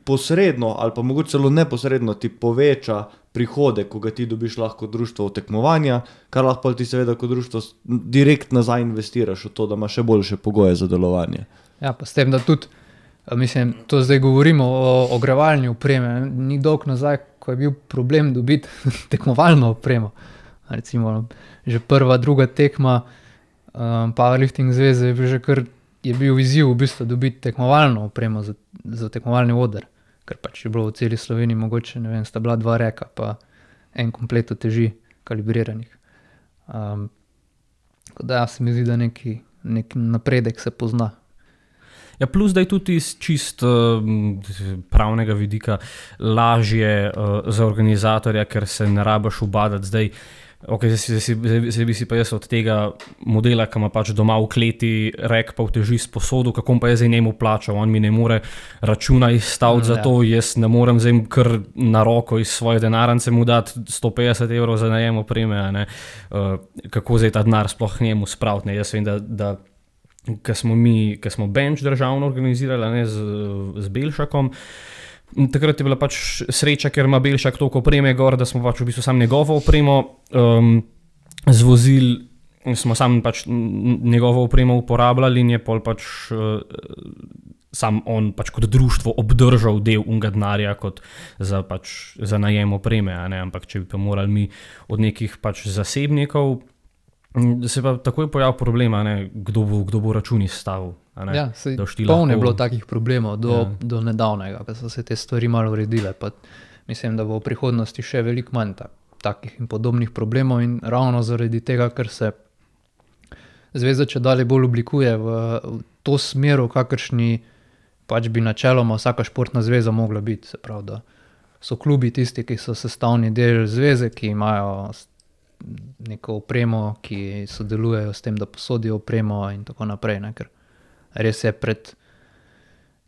Speaker 3: posredno ali pa mogoče celo neposredno ti poveča prihode, ko ga ti dobiš lahko društvo v tekmovanja, kar lahko ti seveda kot društvo direkt nazaj investiraš v to, da ima še boljše pogoje za delovanje.
Speaker 2: Ja, pa s tem, da tudi, mislim, to zdaj govorimo o ogrevalni opreme, ni dolg nazaj, ko je bil problem dobiti tekmovalno opremo. Recimo, že prva, druga tekma Powerlifting zveze je bil izziv v bistvu dobiti tekmovalno opremo za tekmovalni oder, ker pač je bilo v celi Sloveniji mogoče, ne vem, sta bila 2 reka, pa en komplet teži kalibriranih. Tako da se mi zdi, da neki napredek se pozna.
Speaker 1: Ja, plus da je tudi iz čist pravnega vidika lažje za organizatorja, ker se ne rabiš ubadati zdaj. Okay, zdaj bi si pa jaz od tega modela, ki ima pač doma v kleti rek pa vteži sposodu, kako pa je zdaj njemu plačal, on mi ne more računa izstaviti za to, jaz ne morem zdaj kar na roko iz svoje denarnice mu dati 150 € za najem opreme, ne? Kako zdaj ta denar sploh njemu spraviti, ne? Jaz vem, da ko smo bench državno organizirali, ne, z Belšakom, takrat je bila pač sreča, ker ima Belšak toliko opreme gor, da smo pač v bistvu sam njegovo opremo zvozili, smo sam pač njegovo opremo uporabljali in je pol pač sam on pač kot društvo obdržal del unga denarja kot za najem opreme, a ne, ampak če bi pa morali mi od nekih pač zasebnikov, se pa takoj pojavil problem, kdo bo račun izstavil.
Speaker 2: Ja, polno je bilo takih problemov do nedavnega, ko so se te stvari malo uredile, pa mislim, da bo v prihodnosti še veliko manj takih in podobnih problemov in ravno zaradi tega, ker se zveza čedalje bolj oblikuje v to smer, v kakršni pač bi načeloma vsaka športna zveza mogla biti, se pravi, da so klubi tisti, ki so sestavni del zveze, ki imajo neko opremo, ki sodelujejo s tem, da posodijo opremo in tako naprej, ne, ker res je pred,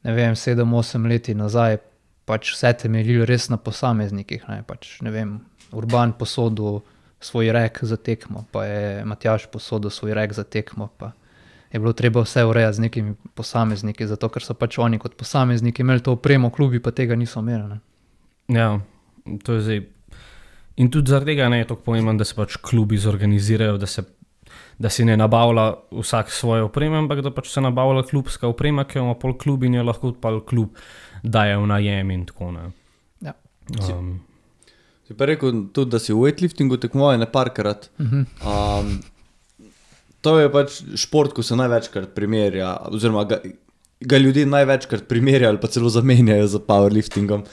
Speaker 2: ne vem, 7-8 leti nazaj pač vse temeljilo res na posameznikih, ne, pač, ne vem, Urban posodil svoj rek za tekmo, pa je Matjaž posodil svoj rek za tekmo, pa je bilo treba vse urejati z nekimi posamezniki, zato ker so pač oni kot posamezniki imeli to opremo, klubi pa tega niso imeli, ne.
Speaker 1: Ja, to je zdaj. In tudi zaradi tega je tako pomembno, da se pač klubi zorganizirajo, da si ne nabavlja vsak svoje opreme, ampak da pač se nabavlja klubska oprema, ki jo ima pol klub in jo lahko pa klub daje v najem in tako, ne.
Speaker 2: Ja.
Speaker 3: Si pa rekel tudi, da si v weightliftingu tekmoval neparkrat. To je pač šport, ko se največkrat primerja, oziroma ga ljudje največkrat primerjajo ali pa celo zamenjajo z powerliftingom.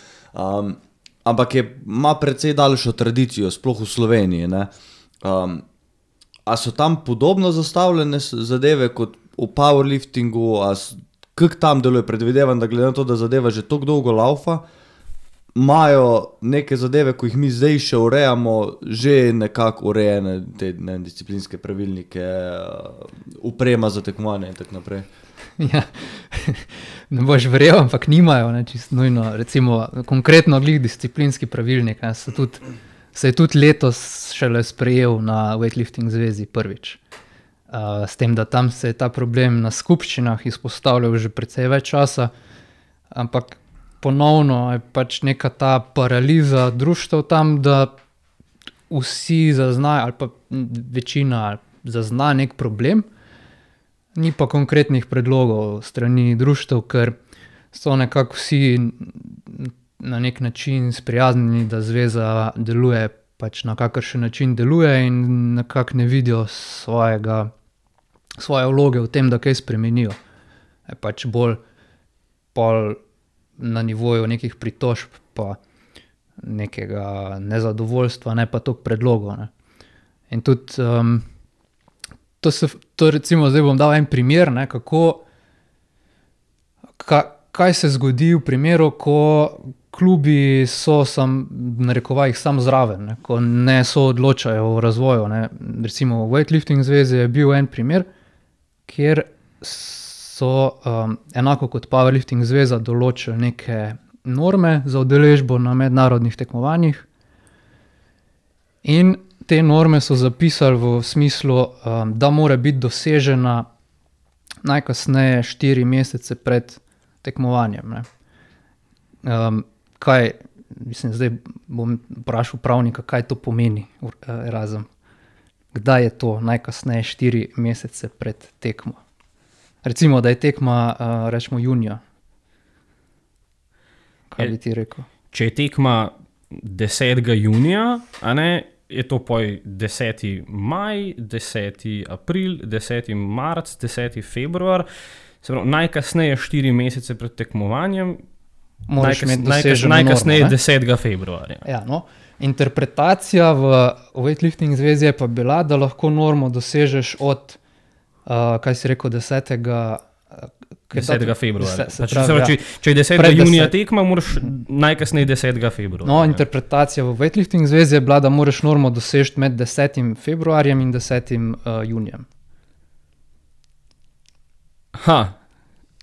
Speaker 3: Ampak ima precej daljšo tradicijo, sploh v Sloveniji, ne. A so tam podobno zastavljene zadeve kot v powerliftingu, kako tam deluje? Predvidevam, da glede na to, da zadeva že toliko dolgo laufa, imajo neke zadeve, ko jih mi zdaj še urejamo, že nekako urejene te disciplinske pravilnike, oprema za tekmovanje in tako naprej.
Speaker 2: Ja, ne boš verjel, ampak nimajo, ne, čisto nujno, recimo konkretno glih disciplinski pravilnik, ne, se je tudi letos šele sprejel na Weightlifting zvezi prvič. S tem, da tam se je ta problem na skupščinah izpostavljal že precej več časa, ampak ponovno je pač neka ta paraliza društev tam, da vsi zaznajo ali pa večina zazna nek problem, ni pa konkretnih predlogov strani društev, ker so nekako vsi na nek način sprijaznjeni, da zveza deluje pač na kakršen način deluje in nekako ne vidijo svoje vloge v tem, da kaj spremenijo. Je pač bolj pol na nivoju nekih pritožb pa nekega nezadovoljstva, ne pa toliko predlogov, ne. In tudi to recimo, zdaj bom dal en primer, ne, kaj se zgodi v primeru, ko klubi so narekovajih sam zraven, ne, ko ne soodločajo o razvoju, ne. Recimo v Weightlifting zvezi je bil en primer, kjer so enako kot Powerlifting zveza določili neke norme za udeležbo na mednarodnih tekmovanjih In te norme so zapisali v smislu, da mora biti dosežena najkasneje 4 mesece pred tekmovanjem. Ne. Kaj, mislim, zdaj bom vprašal pravnika, kaj to pomeni Erasm. Kdaj je to najkasneje 4 mesece pred tekmo? Recimo, da je tekma, rečemo, junija. Kaj bi ti rekel?
Speaker 1: Če je tekma 10. junija, a ne, je to poj 10. maj, 10. april, 10. marc, 10. februar, se pravi, najkasneje 4 mesece pred tekmovanjem, najkasneje normo, 10. februarja.
Speaker 2: Ja, no. Interpretacija v Weightlifting zvezi je pa bila, da lahko normo dosežeš od, kaj si rekel, 10.
Speaker 1: februarja.
Speaker 2: Se pravi,
Speaker 1: če je 10. junija tekma, moraš najkasneje 10. februarja.
Speaker 2: No, interpretacija v Weightlifting zvezi je bila, da moraš normo dosežeti med 10. februarjem in 10. junijem.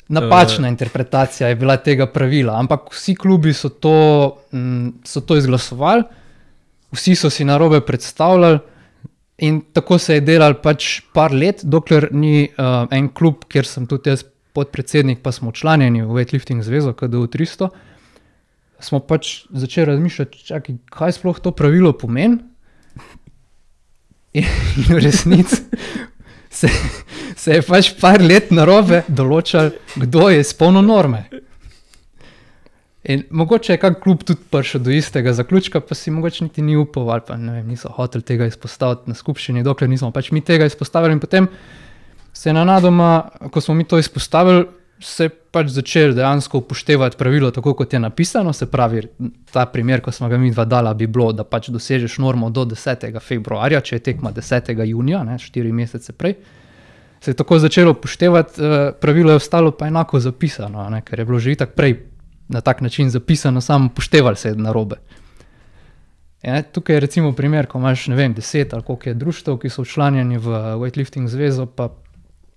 Speaker 2: Napačna interpretacija je bila tega pravila, ampak vsi klubi so to izglasovali, vsi so si narobe predstavljali in tako se je delal pač par let, dokler ni en klub, kjer sem tudi jaz podpredsednik, pa smo članjeni v Weightlifting zvezo, KDU 300, smo pač začeli razmišljati, čakaj, kaj sploh to pravilo pomeni? In v resnici se je pač par let narobe določal, kdo je izpolnil norme. In mogoče je kak klub tudi prišel do istega zaključka, pa si mogoče niti ni upal, ali pa ne vem, niso hoteli tega izpostaviti na skupščini, dokler nismo pač mi tega izpostavili in potem se je nenadoma, ko smo mi to izpostavili, se je pač začeli dejansko upoštevati pravilo tako, kot je napisano, se pravi, ta primer, ko smo ga mi dva dala, bi bilo, da pač dosežeš normo do 10. februarja, če je tekma 10. junija, ne, 4 mesece prej, se je tako začelo upoštevati, pravilo je ostalo pa enako zapisano, ne, ker je bilo že itak prej na tak način zapisano, samo upoštevali se narobe. Ja, tukaj je recimo primer, ko imaš, ne vem, 10 ali koliko je društev, ki so včlanjeni v Weightlifting zvezo, pa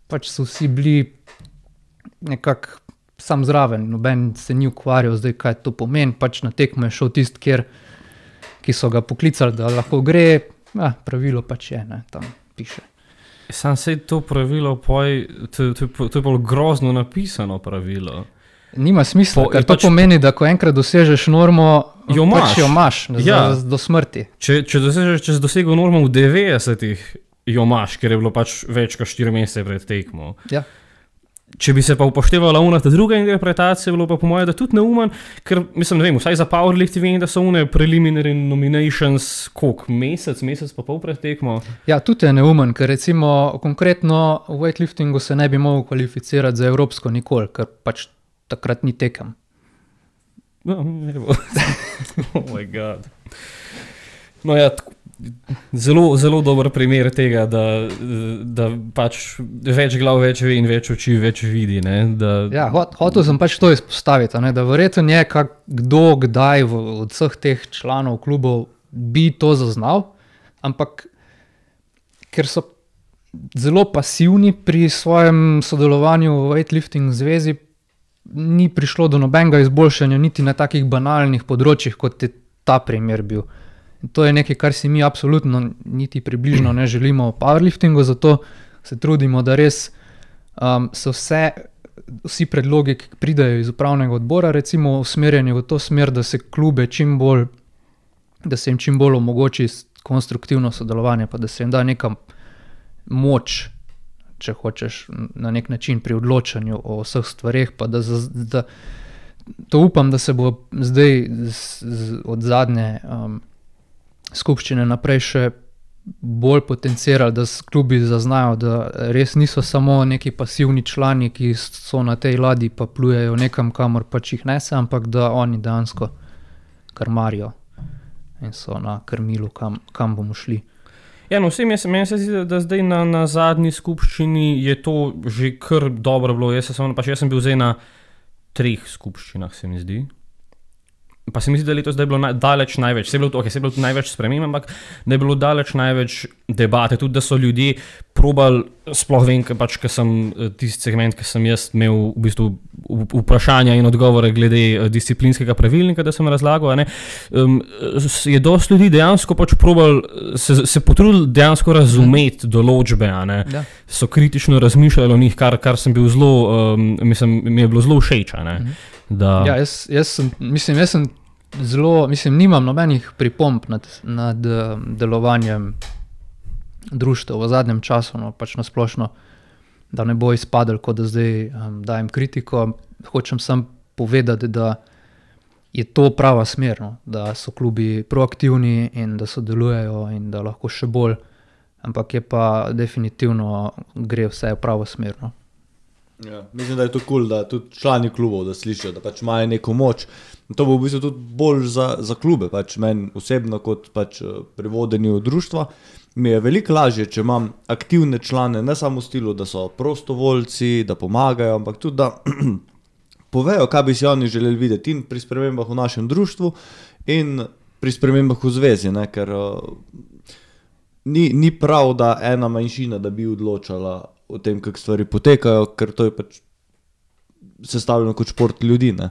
Speaker 2: pač so vsi bili nekako sam zraven, noben se ni ukvarjal zdaj, kaj to pomeni, pač na tekmo je šel tisti, ki so ga poklicali, da lahko gre, pravilo pač je, ne, tam piše.
Speaker 1: Sam se to pravilo, to je bolj grozno napisano pravilo.
Speaker 2: Nima smisla, ker to pomeni, da ko enkrat dosežeš normo, jo imaš do smrti.
Speaker 1: Če dosegel normo v 90-ih, jo imaš, ker je bilo pač več kot 4 mesece pred tekmo.
Speaker 2: Ja.
Speaker 1: Če bi se pa upoštevala ta druga interpretacija, bilo pa po mojem, da tudi neumen, ker mislim, ne vem, vsaj za powerlifting vem, da so preliminary nominations, koliko, mesec pa pol pred tekmo.
Speaker 2: Ja, tudi je neumen, ker recimo konkretno v weightliftingu se ne bi mogel kvalificirati za evropsko nikoli, ker pač takrat ni tekem.
Speaker 1: No, ne bo. Oh my god. No ja, zelo, zelo dober primer tega, da pač več glav več ve in več oči več vidi. Ne?
Speaker 2: Ja, hotel sem pač to izpostaviti, ne? Da verjetno je kdo kdaj od vseh teh članov klubov bi to zaznal, ampak ker so zelo pasivni pri svojem sodelovanju v Weightlifting zvezi, ni prišlo do nobenega izboljšanja niti na takih banalnih področjih, kot je ta primer bil. In to je nekaj, kar si mi absolutno niti približno ne želimo v powerliftingu, zato se trudimo, da res so vsi predlogi, ki pridejo iz upravnega odbora, recimo usmerjeni v to smer, da se klube da se jim čim bolj omogoči konstruktivno sodelovanje, pa da se jim da neka moč, če hočeš, na nek način pri odločanju o vseh stvareh, pa da to upam, da se bo zdaj od zadnje skupščine naprej še bolj potencirali, da klubi zaznajo, da res niso samo neki pasivni člani, ki so na tej ladji pa plujejo nekam, kamor pač jih nese, ampak da oni dejansko krmarijo in so na krmilu, kam bomo šli.
Speaker 1: Ja, no, meni se zdi, da zdaj na zadnji skupščini je to že kar dobro bilo. Jaz sem bil zdaj na 3 skupščinah, se mi zdi. pa se mi zdi, da letos da je bilo daleč največ, se je bilo tudi največ sprememb, ampak da je bilo daleč največ debate, tudi da so ljudje probali, sploh vem, ker sem tisti segment, ki sem jaz imel v bistvu vprašanja in odgovore glede disciplinskega pravilnika, da sem razlagal, ne, je dosti ljudi dejansko probali, se potrudili dejansko razumeti določbe, ne, so kritično razmišljali o njih, kar sem bil zelo, mi je bilo zelo všeč, ne.
Speaker 2: Ja, jaz sem zelo, nimam nobenih pripomb nad delovanjem društev v zadnjem času, no, pač na splošno, da ne bo izpadlo, kot da zdaj dajem kritiko. Hočem samo povedati, da je to prava smer, no, da so klubi proaktivni in da sodelujejo in da lahko še bolj, ampak je pa definitivno gre vse v pravo smer, no.
Speaker 3: Ja, mislim, da je to cool, da tudi člani klubov, da slišijo, da pač imajo neko moč. In to bo v bistvu tudi bolj za klube, pač meni osebno kot pač pri vodenju društva. Mi je veliko lažje, če imam aktivne člane, ne samo v stilu, da so prostovoljci, da pomagajo, ampak tudi, da povejo, kaj bi si oni želeli videti in pri spremembah v našem društvu in pri spremembah v zvezi, ne, ker ni prav, da ena manjšina, da bi odločala o tem, kako stvari potekajo, ker to je pač sestavljeno kot šport ljudi, ne.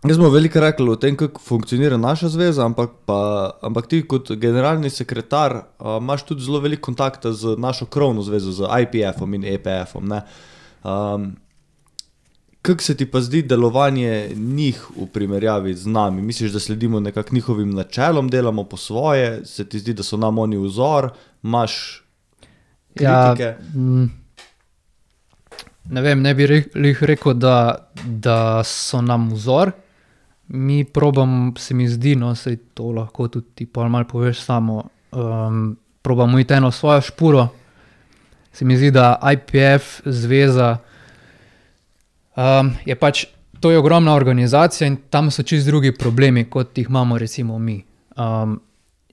Speaker 3: Jaz smo veliko rekli o tem, kako funkcionira naša zveza, ampak ti kot generalni sekretar imaš tudi zelo veliko kontakta z našo krovno zvezo, z IPF-om in EPF-om, ne. Kako se ti pa zdi delovanje njih v primerjavi z nami? Misliš, da sledimo nekako njihovim načelom, delamo po svoje, se ti zdi, da so nam oni vzor, imaš kritike?
Speaker 2: Ja, ne vem, ne bi rekel, da so nam vzor. Mi probam, se mi zdi, no, sej to lahko tudi ti malo poveš samo, probamo iti eno svojo špuro. Se mi zdi, da IPF zveza je pač, to je ogromna organizacija in tam so čisto drugi problemi, kot jih imamo recimo mi.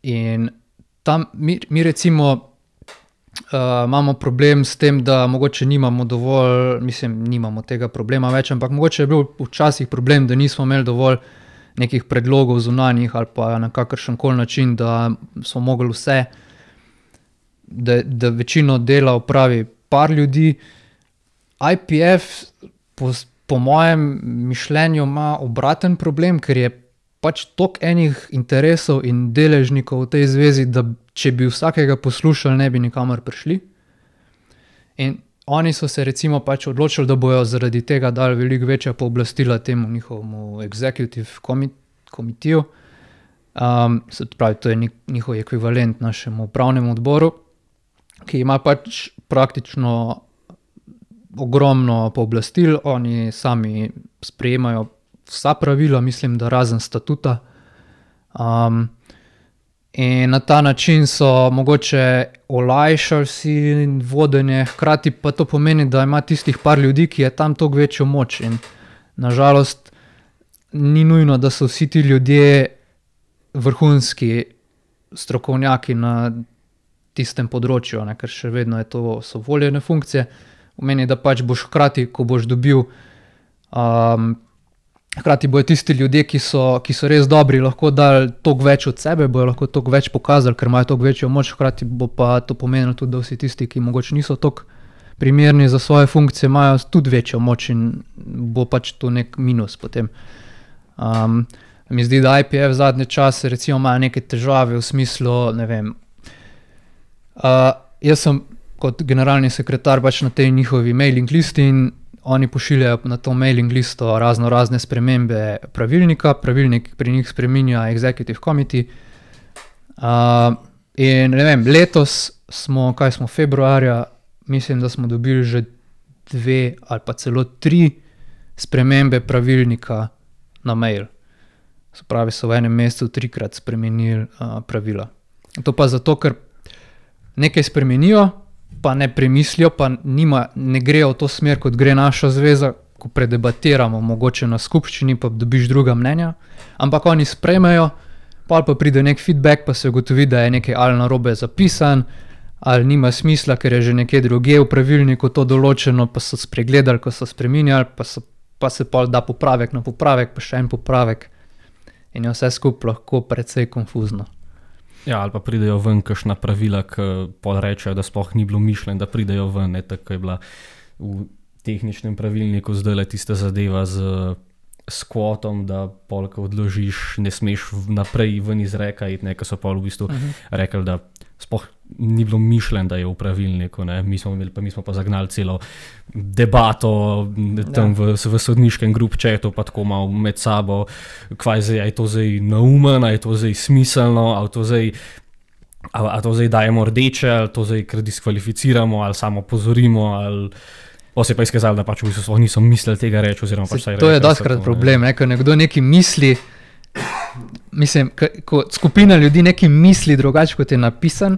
Speaker 2: In tam mi recimo imamo problem s tem, da mogoče nimamo dovolj, nimamo tega problema več, ampak mogoče je bil včasih problem, da nismo imeli dovolj nekih predlogov zunanjih ali pa na kakršenkoli način, da smo mogli vse, da večino dela opravi par ljudi. IPF po mojem mišljenju ima obraten problem, ker je pač toliko enih interesov in deležnikov v tej zvezi, da če bi vsakega poslušali, ne bi nikamor prišli. In oni so se recimo pač odločili, da bojo zaradi tega dali veliko večja pooblastila temu njihovemu executive komitiju. Se pravi, to je njihov ekvivalent našemu upravnemu odboru, ki ima pač praktično ogromno pooblastil. Oni sami sprejemajo vsa pravila, mislim, da razen statuta. In na ta način so mogoče olajšali si vodenje, hkrati pa to pomeni, da ima tistih par ljudi, ki je tam toliko večjo moč. In nažalost ni nujno, da so vsi ti ljudje vrhunski strokovnjaki na tistem področju, ne, ker še vedno so voljene funkcije. Pomeni, da pač boš hkrati, ko boš dobil, hkrati bojo tisti ljudje, ki so res dobri, lahko dali toliko več od sebe, bojo lahko toliko več pokazali, ker imajo toliko večjo moč, hkrati bo pa to pomenilo tudi, da vsi tisti, ki mogoče niso toliko primerni za svoje funkcije, imajo tudi večjo moč in bo pač to nek minus potem. Mi zdi, da IPF zadnje čase recimo imajo neke težave v smislu, ne vem, jaz sem kot generalni sekretar pač na tej njihovi mailing listi in oni pošiljajo na to mailing listo razne spremembe pravilnika, pravilnik pri njih spreminja executive committee. In ne vem, letos smo februarja, mislim, da smo dobili že 2 ali pa celo 3 spremembe pravilnika na mail. Se pravi, so v enem mesecu 3-krat spremenili pravila. To pa zato, ker nekaj spremenijo, pa ne premislijo, pa ne grejo v to smer, kot gre naša zveza, ko predebatiramo, mogoče na skupščini, pa dobiš druga mnenja, ampak oni sprejmejo, pa pride nek feedback, pa se ugotovi, da je nekaj ali narobe zapisan, ali nima smisla, ker je že nekje drugje v pravilniku to določeno, pa so spregledali, ko so spreminjali, pa so pa se pol da popravek na popravek, pa še en popravek in je vse skupaj lahko precej konfuzno.
Speaker 1: Ja, ali pa pridejo ven kakšna pravila, ki pol rečejo, da sploh ni bilo mišljeno, da pridejo ven, ne, tako je bila v tehničnem pravilniku zdajle tista zadeva z kvotom, da pol, ko odložiš, ne smeš naprej ven iz reka iti, ne, ko so pol v bistvu rekli, da sploh ni bilo mišljeno, da je v pravilniku, ne. Mi smo pa zagnali celo debato tam v sodniškem grup chatu, pa tako malo med sabo, kvaj zdaj, je to zdaj naumen, je to zdaj smiselno, a to zdaj dajemo rdeče, ali to zdaj kar diskvalificiramo, ali samo pozorimo, ali pa se je pa izkazalo, da pač v bistvu niso mislili tega reči, oziroma pač saj reči.
Speaker 2: To je dostikrat problem, ne, ko nekdo nekaj misli, mislim, ko skupina ljudi nekaj misli drugače, kot je napisan,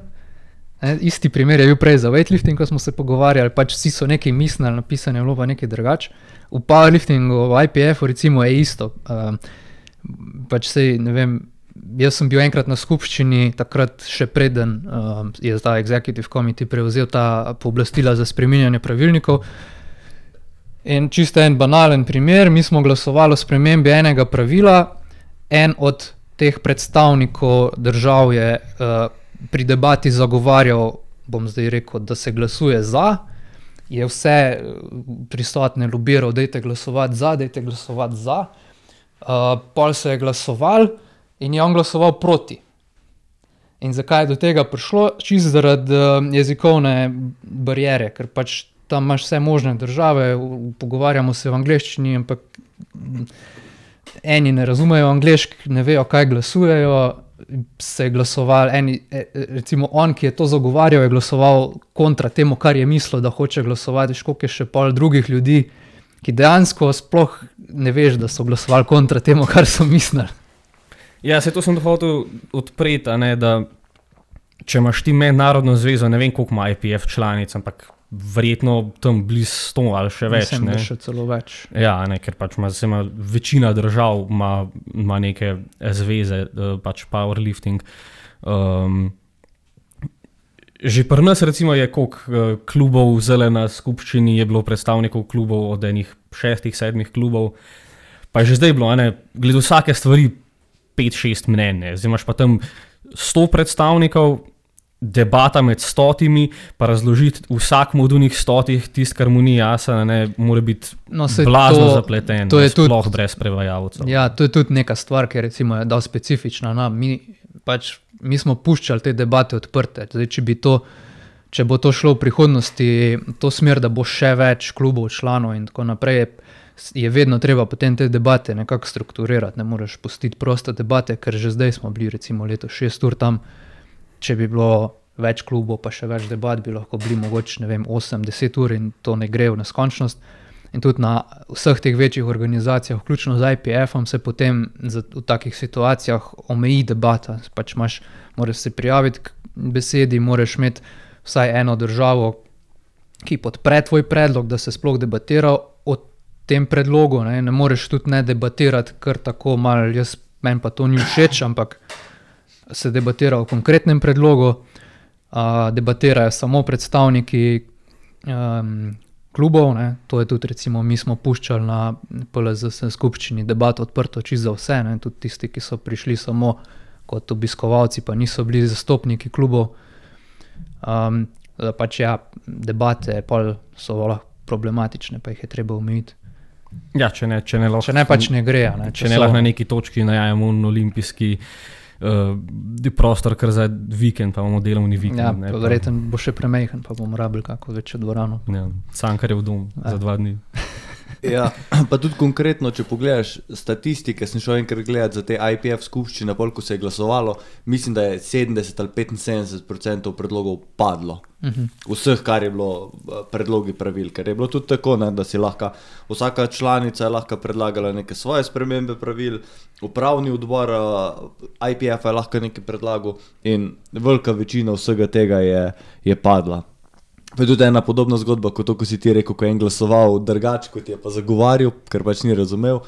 Speaker 2: ne, isti primer je bil prej za weightlifting, ko smo se pogovarjali, pač vsi so nekaj mislili, napisano je bilo pa nekaj drugače. V powerliftingu, v IPF-u recimo je isto, pač sej, ne vem, jaz sem bil enkrat na skupščini, takrat še preden je ta executive committee prevzel ta pooblastila za spreminjanje pravilnikov. In čisto en banalen primer, mi smo glasovali o spremembi enega pravila, en od teh predstavnikov držav je pri debati zagovarjal, bom zdaj rekel, da se glasuje za, je vse prisotne lobiral, dajte glasovati za, pol se je glasoval, in je on glasoval proti. In zakaj je do tega prišlo? Čisto zaradi jezikovne bariere, ker pač tam imaš vse možne države, pogovarjamo se v angleščini, ampak eni ne razumejo angleški, ne vejo, kaj glasujejo, se je glasoval, recimo on, ki je to zagovarjal, je glasoval kontra temu, kar je mislil, da hoče glasovati, koliko je še pol drugih ljudi, ki dejansko sploh ne veš, da so glasovali kontra temu, kar so mislili.
Speaker 1: Ja, se to sem hotel odpreti, ne, da če imaš ti mednarodno zvezo, ne vem, koliko ima IPF članic, ampak verjetno tam blizu 100 ali še več.
Speaker 2: Mislim, da še celo več.
Speaker 1: Ja, ne, ker pač večina držav ima neke zveze, pač powerlifting. Že pri nas recimo je koliko klubov zele na skupščini, je bilo predstavnikov klubov od enih 6-7 klubov, pa je že zdaj bilo, glede vsake stvari 5-6 mnenj, zdaj imaš pa tam 100 predstavnikov, debata med 100, pa razložiti vsakmu od unih 100 tist, kar mu ni jasno, mora biti blazno zapleten, sploh brez prevajalcev.
Speaker 2: Ja, to je tudi neka stvar, ki recimo je dal specifična nam. Mi smo puščali te debate odprte. Zdaj, če bo to šlo v prihodnosti, to smer, da bo še več klubov, članov in tako naprej, je vedno treba potem te debate nekako strukturirati, ne moreš pustiti proste debate, ker že zdaj smo bili recimo leto 6 ur tam, če bi bilo več klubov pa še več debat, bi lahko bili mogoče, ne vem, 8-10 ur in to ne gre v neskončnost. In tudi na vseh teh večjih organizacijah, vključno z IPF-om, se potem v takih situacijah omeji debata. Pač moraš se prijaviti k besedi, moraš imeti vsaj eno državo, ki podpre tvoj predlog, da se sploh debatira o tem predlogu, ne moreš tudi ne debatirati kar tako malo, meni pa to ni všeč, ampak se debatira o konkretnem predlogu, debatirajo samo predstavniki klubov, ne. To je tudi recimo, mi smo puščali na PLZS skupščini debato odprto čisto za vse, ne. Tudi tisti, ki so prišli samo kot obiskovalci, pa niso bili zastopniki klubov. Da pač ja, debate pol so problematične, pa jih je treba omejiti.
Speaker 1: Ja, če ne
Speaker 2: pač ne gre.
Speaker 1: Če ne lahko na neki točki najajemo olimpijski prostor, kar za vikend, pa imamo delovni vikend.
Speaker 2: Ja, pa verjetno bo še premejhen, pa bomo rabili kako večjo dvorano.
Speaker 1: Ja, Cankarjev dom za 2 dni.
Speaker 3: Ja, pa tudi konkretno, če pogledaš statistike, sem šel enkrat gledati za te IPF skupščine, ko se je glasovalo, mislim, da je 70 ali 75% predlogov padlo. Vseh, kar je bilo predlogi pravil, ker je bilo tudi tako, da si lahko, vsaka članica je lahko predlagala neke svoje spremembe pravil, upravni odbor IPF je lahko nekaj predlagal in velika večina vsega tega je padla. Pa je tudi ena podobna zgodba, kot to, ko si ti rekel, ko je en glasoval drugače, kot je pa zagovarjal, ker pač ni razumel.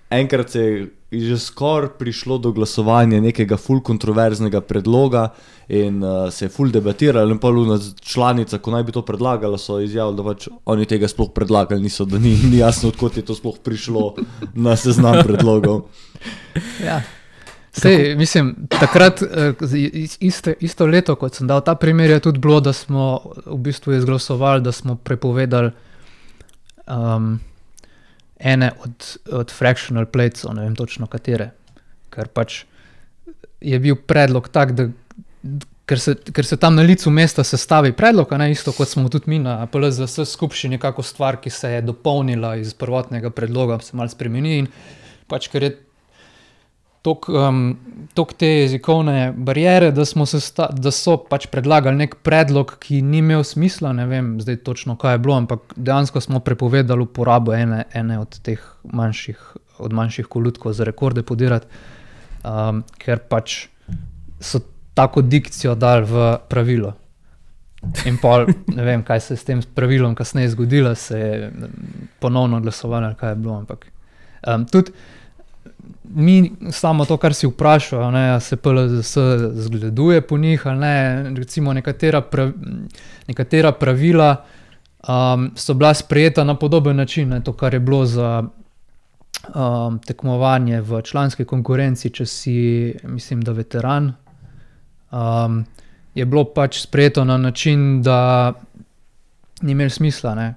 Speaker 3: Enkrat se je že skoraj prišlo do glasovanja nekega ful kontroverznega predloga in se je ful debatiralo in pa luna članica, ko naj bi to predlagala, so izjavili, da pač oni tega sploh predlagali niso, da ni jasno, odkot je to sploh prišlo na seznam predlogov.
Speaker 2: Ja. Sej, mislim, takrat, isto leto, kot sem dal ta primer, je tudi bilo, da smo v bistvu izglasovali, da smo prepovedali ene od fractional platesov, ne vem točno katere, ker pač je bil predlog tak, da ker se tam na licu mesta sestavi predlog, a ne isto kot smo tudi mi na PLZS skupščini, nekako stvar, ki se je dopolnila iz prvotnega predloga, se malo spremeni in pač ker je toliko te jezikovne barijere, da so pač predlagali nek predlog, ki ni imel smisla, ne vem zdaj točno, kaj je bilo, ampak dejansko smo prepovedali uporabo ene od teh manjših kolutkov za rekorde podirati, ker pač so tako dikcijo dali v pravilo. In pol, ne vem, kaj se je s tem pravilom kasneje zgodilo, se je ponovno glasovalo, kaj je bilo, ampak tudi mi samo to, kar si vprašal, ne, se PLZS zgleduje po njih, ali ne, recimo nekatera pravila so bila sprejeta na podoben način, ne, to, kar je bilo za tekmovanje v članski konkurenci, če si, mislim, da veteran, je bilo pač sprejeto na način, da ni imel smisla, ne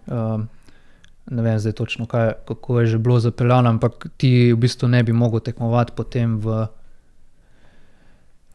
Speaker 2: vem zdaj točno, kako je že bilo zapeljano, ampak ti v bistvu ne bi mogel tekmovati potem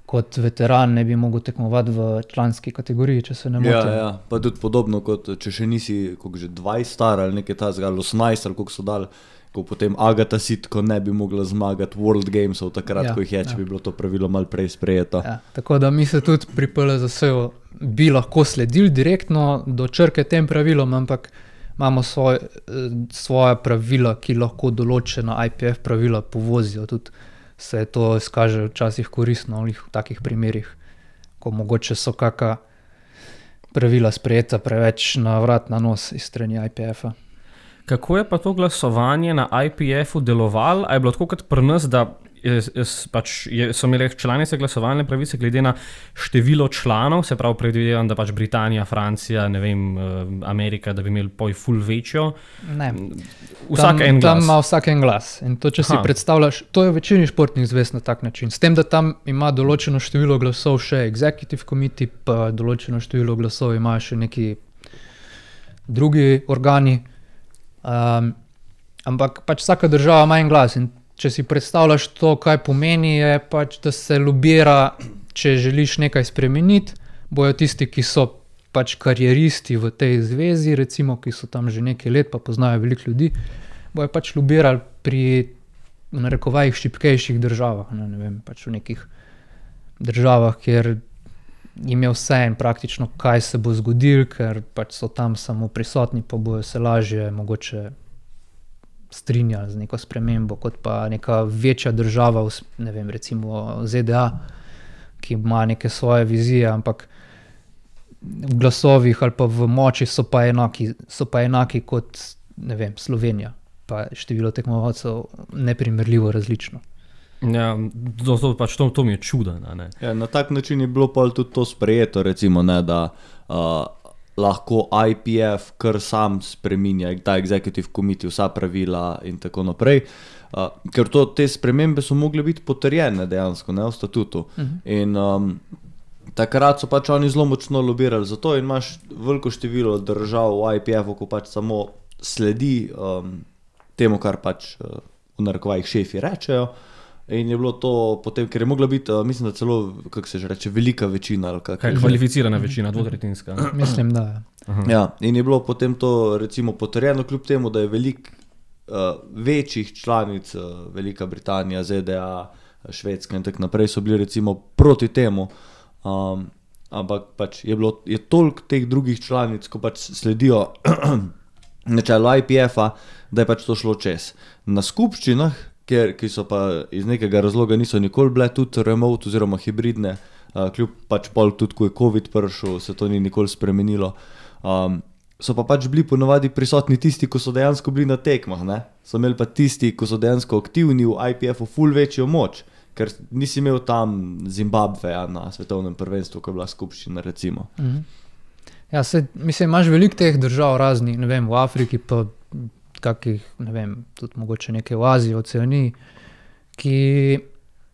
Speaker 2: kot veteran, ne bi mogel tekmovati v članski kategoriji, če se ne motim.
Speaker 3: Ja, pa tudi podobno, kot če še nisi že 20 star ali nekaj tazga, ali 18 ali koliko so dali, ko potem Agatha Sitko ne bi mogla zmagati World Gamesov takrat, ko jih je, če bi bilo to pravilo malo prej sprejeto.
Speaker 2: Ja, tako da mi se tudi pri PLZS-u bi lahko sledili direktno do črke tem pravilom, ampak imamo svoja pravila, ki lahko določena IPF pravila povozijo. Tudi se to izkaže včasih koristno v takih primerih, ko mogoče so kakšna pravila sprejeta preveč na vrat na nos iz strani IPF-a.
Speaker 1: Kako je pa to glasovanje na IPF-u delovalo? A je bilo tako kot pri nas, da so imeli članice glasovalne pravice glede na število članov, se pravi predvidevam, da pač Britanija, Francija, ne vem, Amerika, da bi imeli poj ful večjo?
Speaker 2: Ne.
Speaker 1: Vsak en glas.
Speaker 2: Tam ima vsak en glas. In to, če si predstavljaš, to je v večini športnih zvez na tak način. S tem, da tam ima določeno število glasov še executive committee, pa določeno število glasov imajo še neki drugi organi. Ampak pač vsaka država ima en glas in če si predstavljaš to, kaj pomeni, je pač, da se lobira, če želiš nekaj spremeniti, bojo tisti, ki so pač karieristi v tej zvezi, recimo, ki so tam že nekaj let, pa poznajo veliko ljudi, bojo pač lobirali pri, v narekovajih, šibkejših državah, ne vem, pač v nekih državah, kjer jim je vse in praktično, kaj se bo zgodilo, ker pač so tam samo prisotni, pa bojo se lažje mogoče strinjali z neko spremembo, kot pa neka večja država, ne vem, recimo ZDA, ki ima neke svoje vizije, ampak v glasovih ali pa v moči so pa enaki kot, ne vem, Slovenija, pa število tekmovalcev neprimerljivo različno.
Speaker 1: Ja, to mi je čudno.
Speaker 3: Ja, na tak način je bilo pa tudi to sprejeto, recimo, ne, da lahko IPF kar sam spreminja, ta executive committee, vsa pravila in tako naprej, ker te spremembe so mogle biti potrjene dejansko, ne, v statutu. In takrat so pač oni zelo močno lobirali za to in imaš veliko število držav v IPF-u, ko pač samo sledi temu, kar pač v narekovajih šefi rečejo. In je bilo to potem, ker je mogla biti, mislim, da celo, kako se že reče, velika večina.
Speaker 1: Kvalificirana večina, dvotretjinska.
Speaker 2: Mislim, da je.
Speaker 3: Ja, in je bilo potem to recimo potrjeno, kljub temu, da je veliko večjih članic, Velika Britanija, ZDA, Švedska in tako naprej, so bili recimo proti temu, ampak pač je toliko teh drugih članic, ko pač sledijo načelu IPF-a, da je pač to šlo čez. Na skupščinah, ki so pa iz nekega razloga niso nikoli bile tudi remote oziroma hibridne, kljub pač pol tudi, ko je COVID prišel, se to ni nikoli spremenilo. So pa pač bili ponovadi prisotni tisti, ko so dejansko bili na tekmah, ne? So imeli pa tisti, ko so dejansko aktivni v IPF-u ful večjo moč, ker nisi imel tam Zimbabveja na svetovnem prvenstvu, ko je bila skupščina, recimo.
Speaker 2: Ja, mislim, imaš veliko teh držav raznih, ne vem, v Afriki pa kakih, ne vem, tudi mogoče nekaj v Aziji, v Oceaniji, ki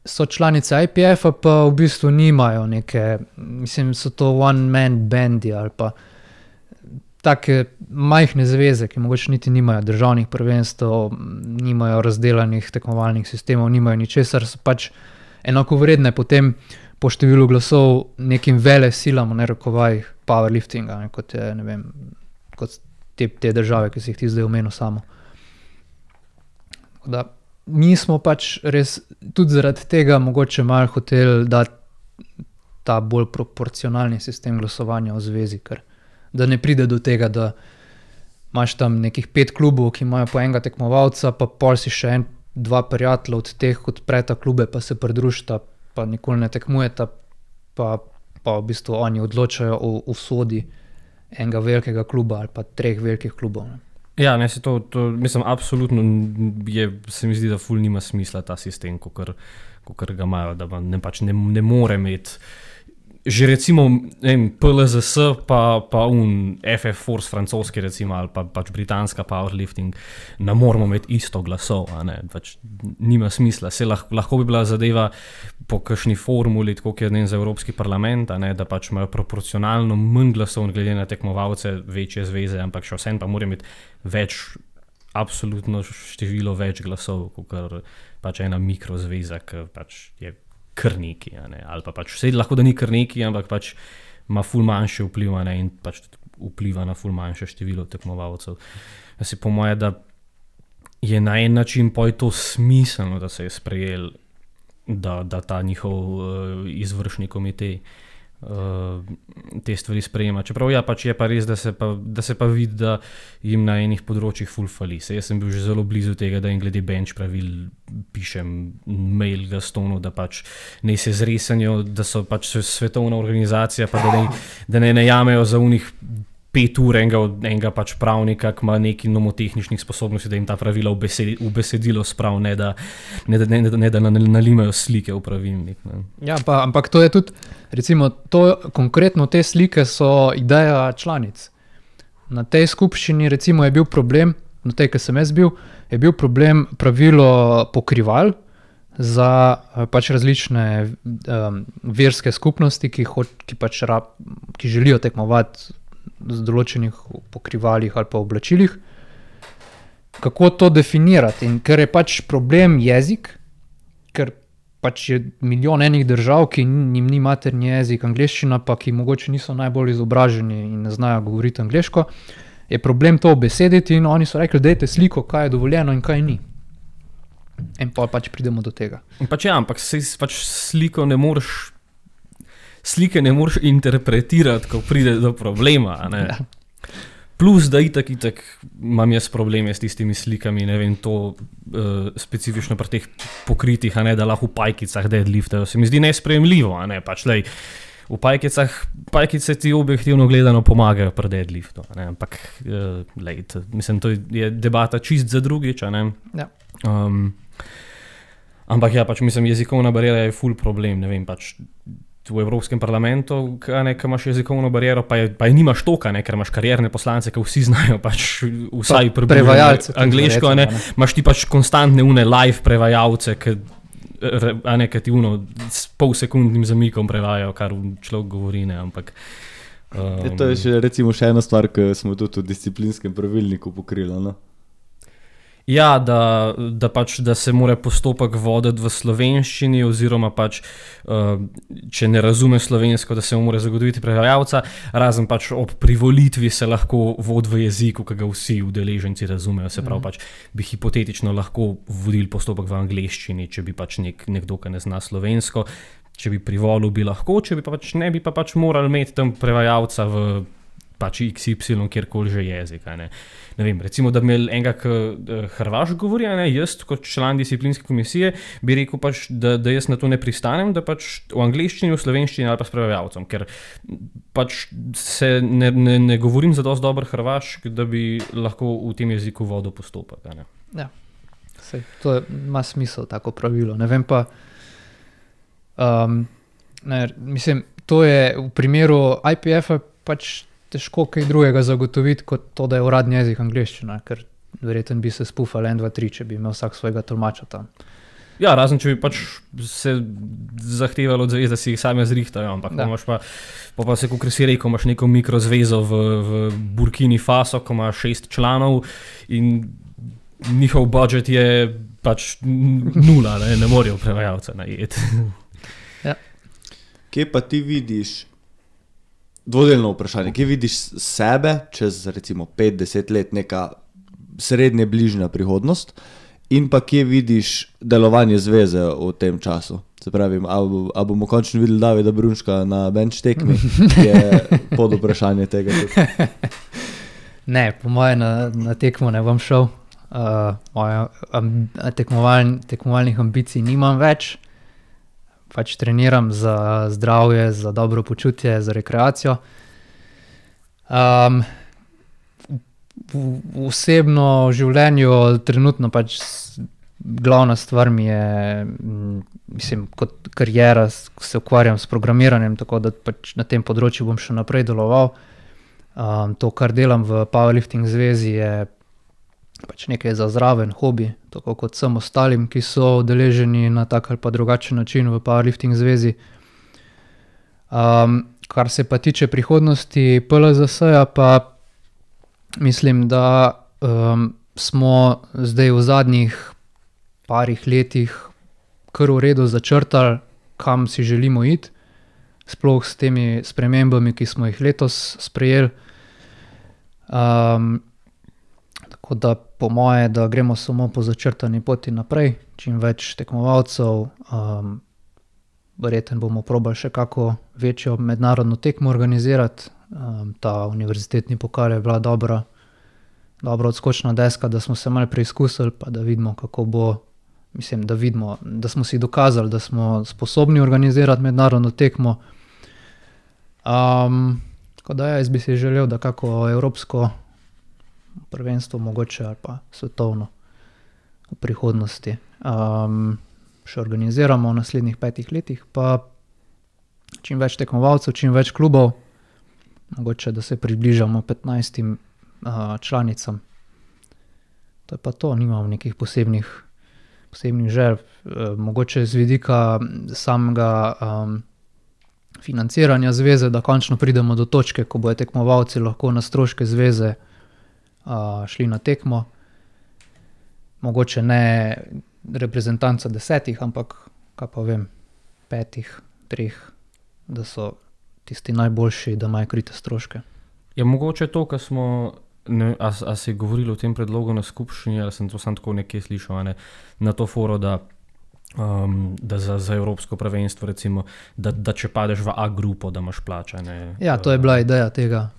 Speaker 2: so članice IPF-a, pa v bistvu nimajo neke, mislim, so to one-man bandi ali pa take majhne zveze, ki mogoče niti nimajo državnih prvenstv, nimajo razdelanih tekmovalnih sistemov, nimajo ničesar, so pač enakovredne potem po številu glasov nekim velesilam, v narekovajih, powerliftinga, ne, kot je, ne vem, kot te države, ki si jih ti zdaj omenil samo. Da, mi smo pač res tudi zaradi tega mogoče malo hoteli dati ta bolj proporcionalni sistem glasovanja v zvezi, ker da ne pride do tega, da imaš tam nekih 5 klubov, ki imajo po enega tekmovalca, pa pol si še 2 prijatelja od teh, kot preta klube, pa se pridružita, pa nikoli ne tekmujeta, pa v bistvu oni odločajo o usodi enega velikega kluba ali pa 3 velikih klubov. Ne.
Speaker 1: Ja, ne, to mislim, absolutno se mi zdi, da ful nima smisla ta sistem, kakor ga imajo, da pač ne more imeti. Že recimo PLZS pa FF Force francoski recimo ali pa pač britanska powerlifting ne moramo imeti isto glasov, a ne, pač nima smisla. Se lahko bi bila zadeva po kakšni formuli, tako kot je za Evropski parlament, a ne, da pač imajo proporcionalno manj glasov glede na tekmovalce večje zveze, ampak še vsem pa mora imeti več, absolutno število več glasov, kot pač ena mikrozveza, ki pač je kar neki, ali pa pač vse lahko, da ni kar neki, ampak pač ima ful manjše vpliv, in pač vpliva na ful manjše število tekmovalcev. Jaz po moje, da je na en način pa je to smiselno, da se je sprejel, da ta njihov izvršni komitej te stvari sprejema. Čeprav ja, pač je pa res, da se pa vidi, da jim na enih področjih ful fali. Jaz sem bil že zelo blizu tega, da jim glede bench pravil pišem mail Gastonu, da pač ne se zresanjo, da so pač svetovna organizacija, pa da ne najamejo za unih 5 ur enega pač pravnika, ki ima neki nomotehničnih sposobnosti, da jim ta pravila v besedilo sprav, ne da nalimajo slike v pravilnik. Ne.
Speaker 2: Ja, ampak to je tudi, recimo, konkretno te slike so ideja članic. Na tej skupščini recimo je bil problem, na tej, ki sem jaz bil, je bil problem pravilo pokrival za pač različne verske skupnosti, ki želijo tekmovati z določenih pokrivalih ali pa oblačilih. Kako to definirati? In ker je pač problem jezik, ker pač je milijon enih držav, ki njim ni materni jezik angleščina, pa ki mogoče niso najbolj izobraženi in ne znajo govoriti angleško, je problem to obesediti in oni so rekli, dajte sliko, kaj je dovoljeno in kaj ni. In pa pač pridemo do tega.
Speaker 1: Pač ja, ampak pač slike ne moreš interpretirati, ko pride do problema. Ne? Ja. Plus, da itak imam jaz probleme s tistimi slikami, ne vem, to specifično pri teh pokritih, a ne, da lahko v pajkicah deadliftajo. Se mi zdi nesprejemljivo, a ne, pač lej, v pajkice ti objektivno gledano pomagajo pri deadliftu, a ne, ampak lej, mislim, to je debata čist za drugič, a ne.
Speaker 2: Ja.
Speaker 1: Ampak ja, pač mislim, jezikovna bariera je ful problem, ne vem, pač v Evropskem parlamentu, ki imaš jezikovno bariero, pa je nimaš toka, ker imaš karierne poslance, ki vsi znajo pač vsaj
Speaker 2: prevajalce
Speaker 1: angleško, imaš ti pač konstantne live prevajalce, ki ti s polsekundnim zamikom prevajajo, kar človek govori, ne, ampak
Speaker 3: to je recimo še ena stvar, ki smo tudi v disciplinskem pravilniku pokrili, no?
Speaker 1: Ja, da se mora postopek voditi v slovenščini oziroma pač, če ne razume slovensko, da se mora zagotoviti prevajalca, razen pač ob privolitvi se lahko vodi v jeziku, ki ga vsi udeleženci razumejo, se pravi pač bi hipotetično lahko vodili postopek v angleščini, če bi pač nekdo, ki ne zna slovensko, če bi privolil, bi lahko, če bi pač ne, bi pa pač morali imeti tam prevajalca v pač XY, kjerkoli že jezik. Ne vem, recimo, da bi imel enega, ki Hrvaš govori, jaz kot član disciplinske komisije bi rekel pač, da jaz na to ne pristanem, da pač v angleščini, v slovenščini ali pa s prevajalcem, ker pač se ne govorim za dosti dober Hrvašk, da bi lahko v tem jeziku vodil postopek.
Speaker 2: Ja, sej, to ima smisel, tako pravilo. Ne vem pa, mislim, to je v primeru IPF-a pač težko kaj drugega zagotoviti, kot to, da je uradni jezik angleščina, ker verjetno bi se spufali 1, 2, 3, če bi imel vsak svojega tolmača tam.
Speaker 1: Ja, razen če bi pač se zahtevalo od zvez, da si jih sami zrihtajo, ampak imaš pa se, kot si rekel, imaš neko mikrozvezo v Burkini Faso, ko ima 6 članov in njihov budžet je pač 0, ne morejo prevajalca najeti.
Speaker 2: Ja.
Speaker 3: Kje pa ti vidiš, dvodelno vprašanje, kje vidiš sebe čez recimo 5-10 let, neka srednje bližnja prihodnost, in pa kje vidiš delovanje zveze v tem času? Se pravi, a bomo končno videli Davida Brunška na bench tekmi, je pod vprašanje tega tudi.
Speaker 2: Ne, po moje na tekmo ne bom šel. Tekmovalnih ambicij nimam več. Pač treniram za zdravje, za dobro počutje, za rekreacijo. V osebno življenju trenutno pač glavna stvar mi je, mislim, kot kariera, se ukvarjam s programiranjem, tako da pač na tem področju bom še naprej deloval. To, kar delam v Powerlifting zvezi, je pač nekaj za zraven, hobi, tako kot vsem ostalim, ki so udeleženi na tak ali pa drugačen način v Powerlifting zvezi. Kar se pa tiče prihodnosti PLZS-ja, pa mislim, da smo zdaj v zadnjih parih letih kar v redu začrtali, kam si želimo iti, sploh s temi spremembami, ki smo jih letos sprejeli. Tako da po moje, da gremo samo po začrtani poti naprej, čim več tekmovalcev, verjetno bomo probali še kako večjo mednarodno tekmo organizirati. Ta univerzitetni pokal je bila dobra odskočna deska, da smo se malo preizkusili, pa da vidimo, kako bo, mislim, da vidimo, da smo si dokazali, da smo sposobni organizirati mednarodno tekmo. Tako da jaz bi si želel, da kako evropsko prvenstvo mogoče ali pa svetovno v prihodnosti še organiziramo v naslednjih 5 letih, pa čim več tekmovalcev, čim več klubov, mogoče da se približamo 15 članicam. To je pa to, nimam nekih posebnih želj. Mogoče z vidika samega financiranja zveze, da končno pridemo do točke, ko bojo tekmovalci lahko na stroške zveze šli na tekmo. Mogoče ne reprezentanca 10, ampak, kaj pa vem, 5, 3, da so tisti najboljši, da imajo krite stroške.
Speaker 1: Je mogoče to, kar smo, a si govorili o tem predlogu na skupščini, ali sem to sam tako nekje slišal, na to foro, da za evropsko prvenstvo, recimo, da če padeš v A grupo, da imaš plačane.
Speaker 2: Ja, to je bila ideja tega.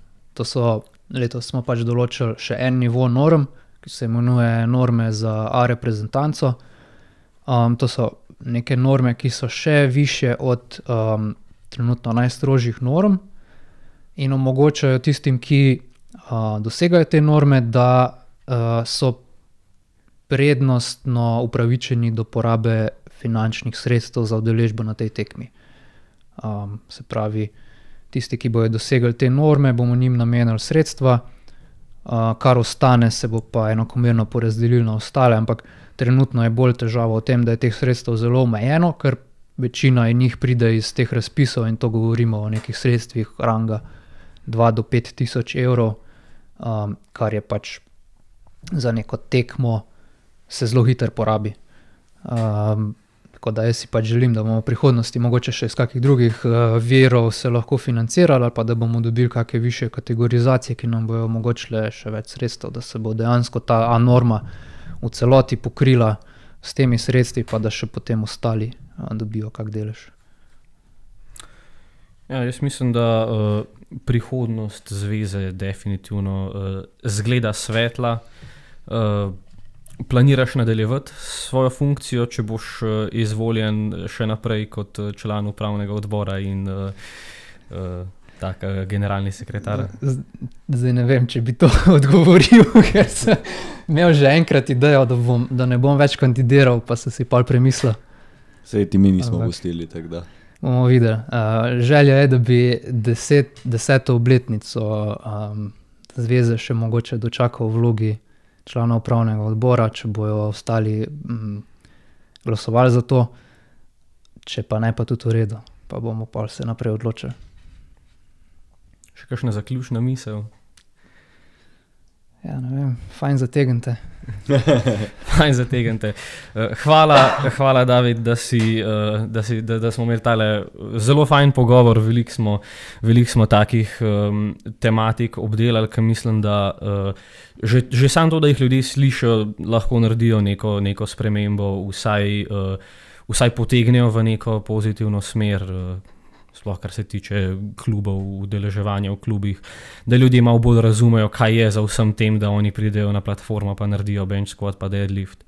Speaker 2: Letos smo pač določili še en nivo norm, ki se imenuje norme za A reprezentanco. To so neke norme, ki so še višje od trenutno najstrožjih norm in omogočajo tistim, ki dosegajo te norme, da so prednostno upravičeni do porabe finančnih sredstev za udeležbo na tej tekmi. Se pravi, tisti, ki bojo dosegli te norme, bomo njim namenili sredstva, kar ostane, se bo pa enakomerno porazdelilo na ostale, ampak trenutno je bolj težava v tem, da je teh sredstev zelo omejeno, ker večina njih pride iz teh razpisov in to govorimo o nekih sredstvih ranga 2 do 5 tisoč evrov, kar je pač za neko tekmo se zelo hitro porabi. Tako da jaz si pač želim, da bomo v prihodnosti mogoče še iz kakih drugih virov se lahko financirali ali pa da bomo dobili kakšne višje kategorizacije, ki nam bojo omogočile še več sredstev, da se bo dejansko ta A norma v celoti pokrila s temi sredstvi, pa da še potem ostali dobijo kak delež.
Speaker 1: Ja, jaz mislim, da prihodnost zveze definitivno zgleda svetla. Planiraš nadaljevati svojo funkcijo, če boš izvoljen še naprej kot član upravnega odbora in generalni sekretar?
Speaker 2: Zdaj ne vem, če bi to odgovoril, ker sem imel že enkrat idejo, da ne bom več kandidiral, pa sem si pol premislil.
Speaker 3: Sej ti mi nismo gostili, tako da.
Speaker 2: Bomo videli. Želja je, da bi 10. obletnico zveze še mogoče dočakal v vlogi člana upravnega odbora, če bojo ostali glasovali za to, če pa ne, pa tudi v redu, pa bomo pa se naprej odločili.
Speaker 1: Še kakšna zaključna misel?
Speaker 2: Ja, ne vem, fajn zategnite.
Speaker 1: Fajn zategnite. Hvala, David, da smo imeli tale zelo fajn pogovor. Veliko smo takih tematik obdelali, ki mislim, da že samo to, da jih ljudje slišijo, lahko naredijo neko spremembo, vsaj potegnejo v neko pozitivno smer, sploh kar se tiče klubov, udeleževanja v klubih, da ljudje malo bolj razumejo, kaj je za vsem tem, da oni pridejo na platformo pa naredijo bench squat pa deadlift.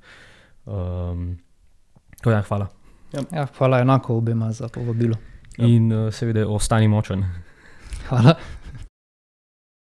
Speaker 1: Hvala.
Speaker 2: Ja, hvala enako obema za povabilo.
Speaker 1: In seveda ostani močen.
Speaker 2: Hvala.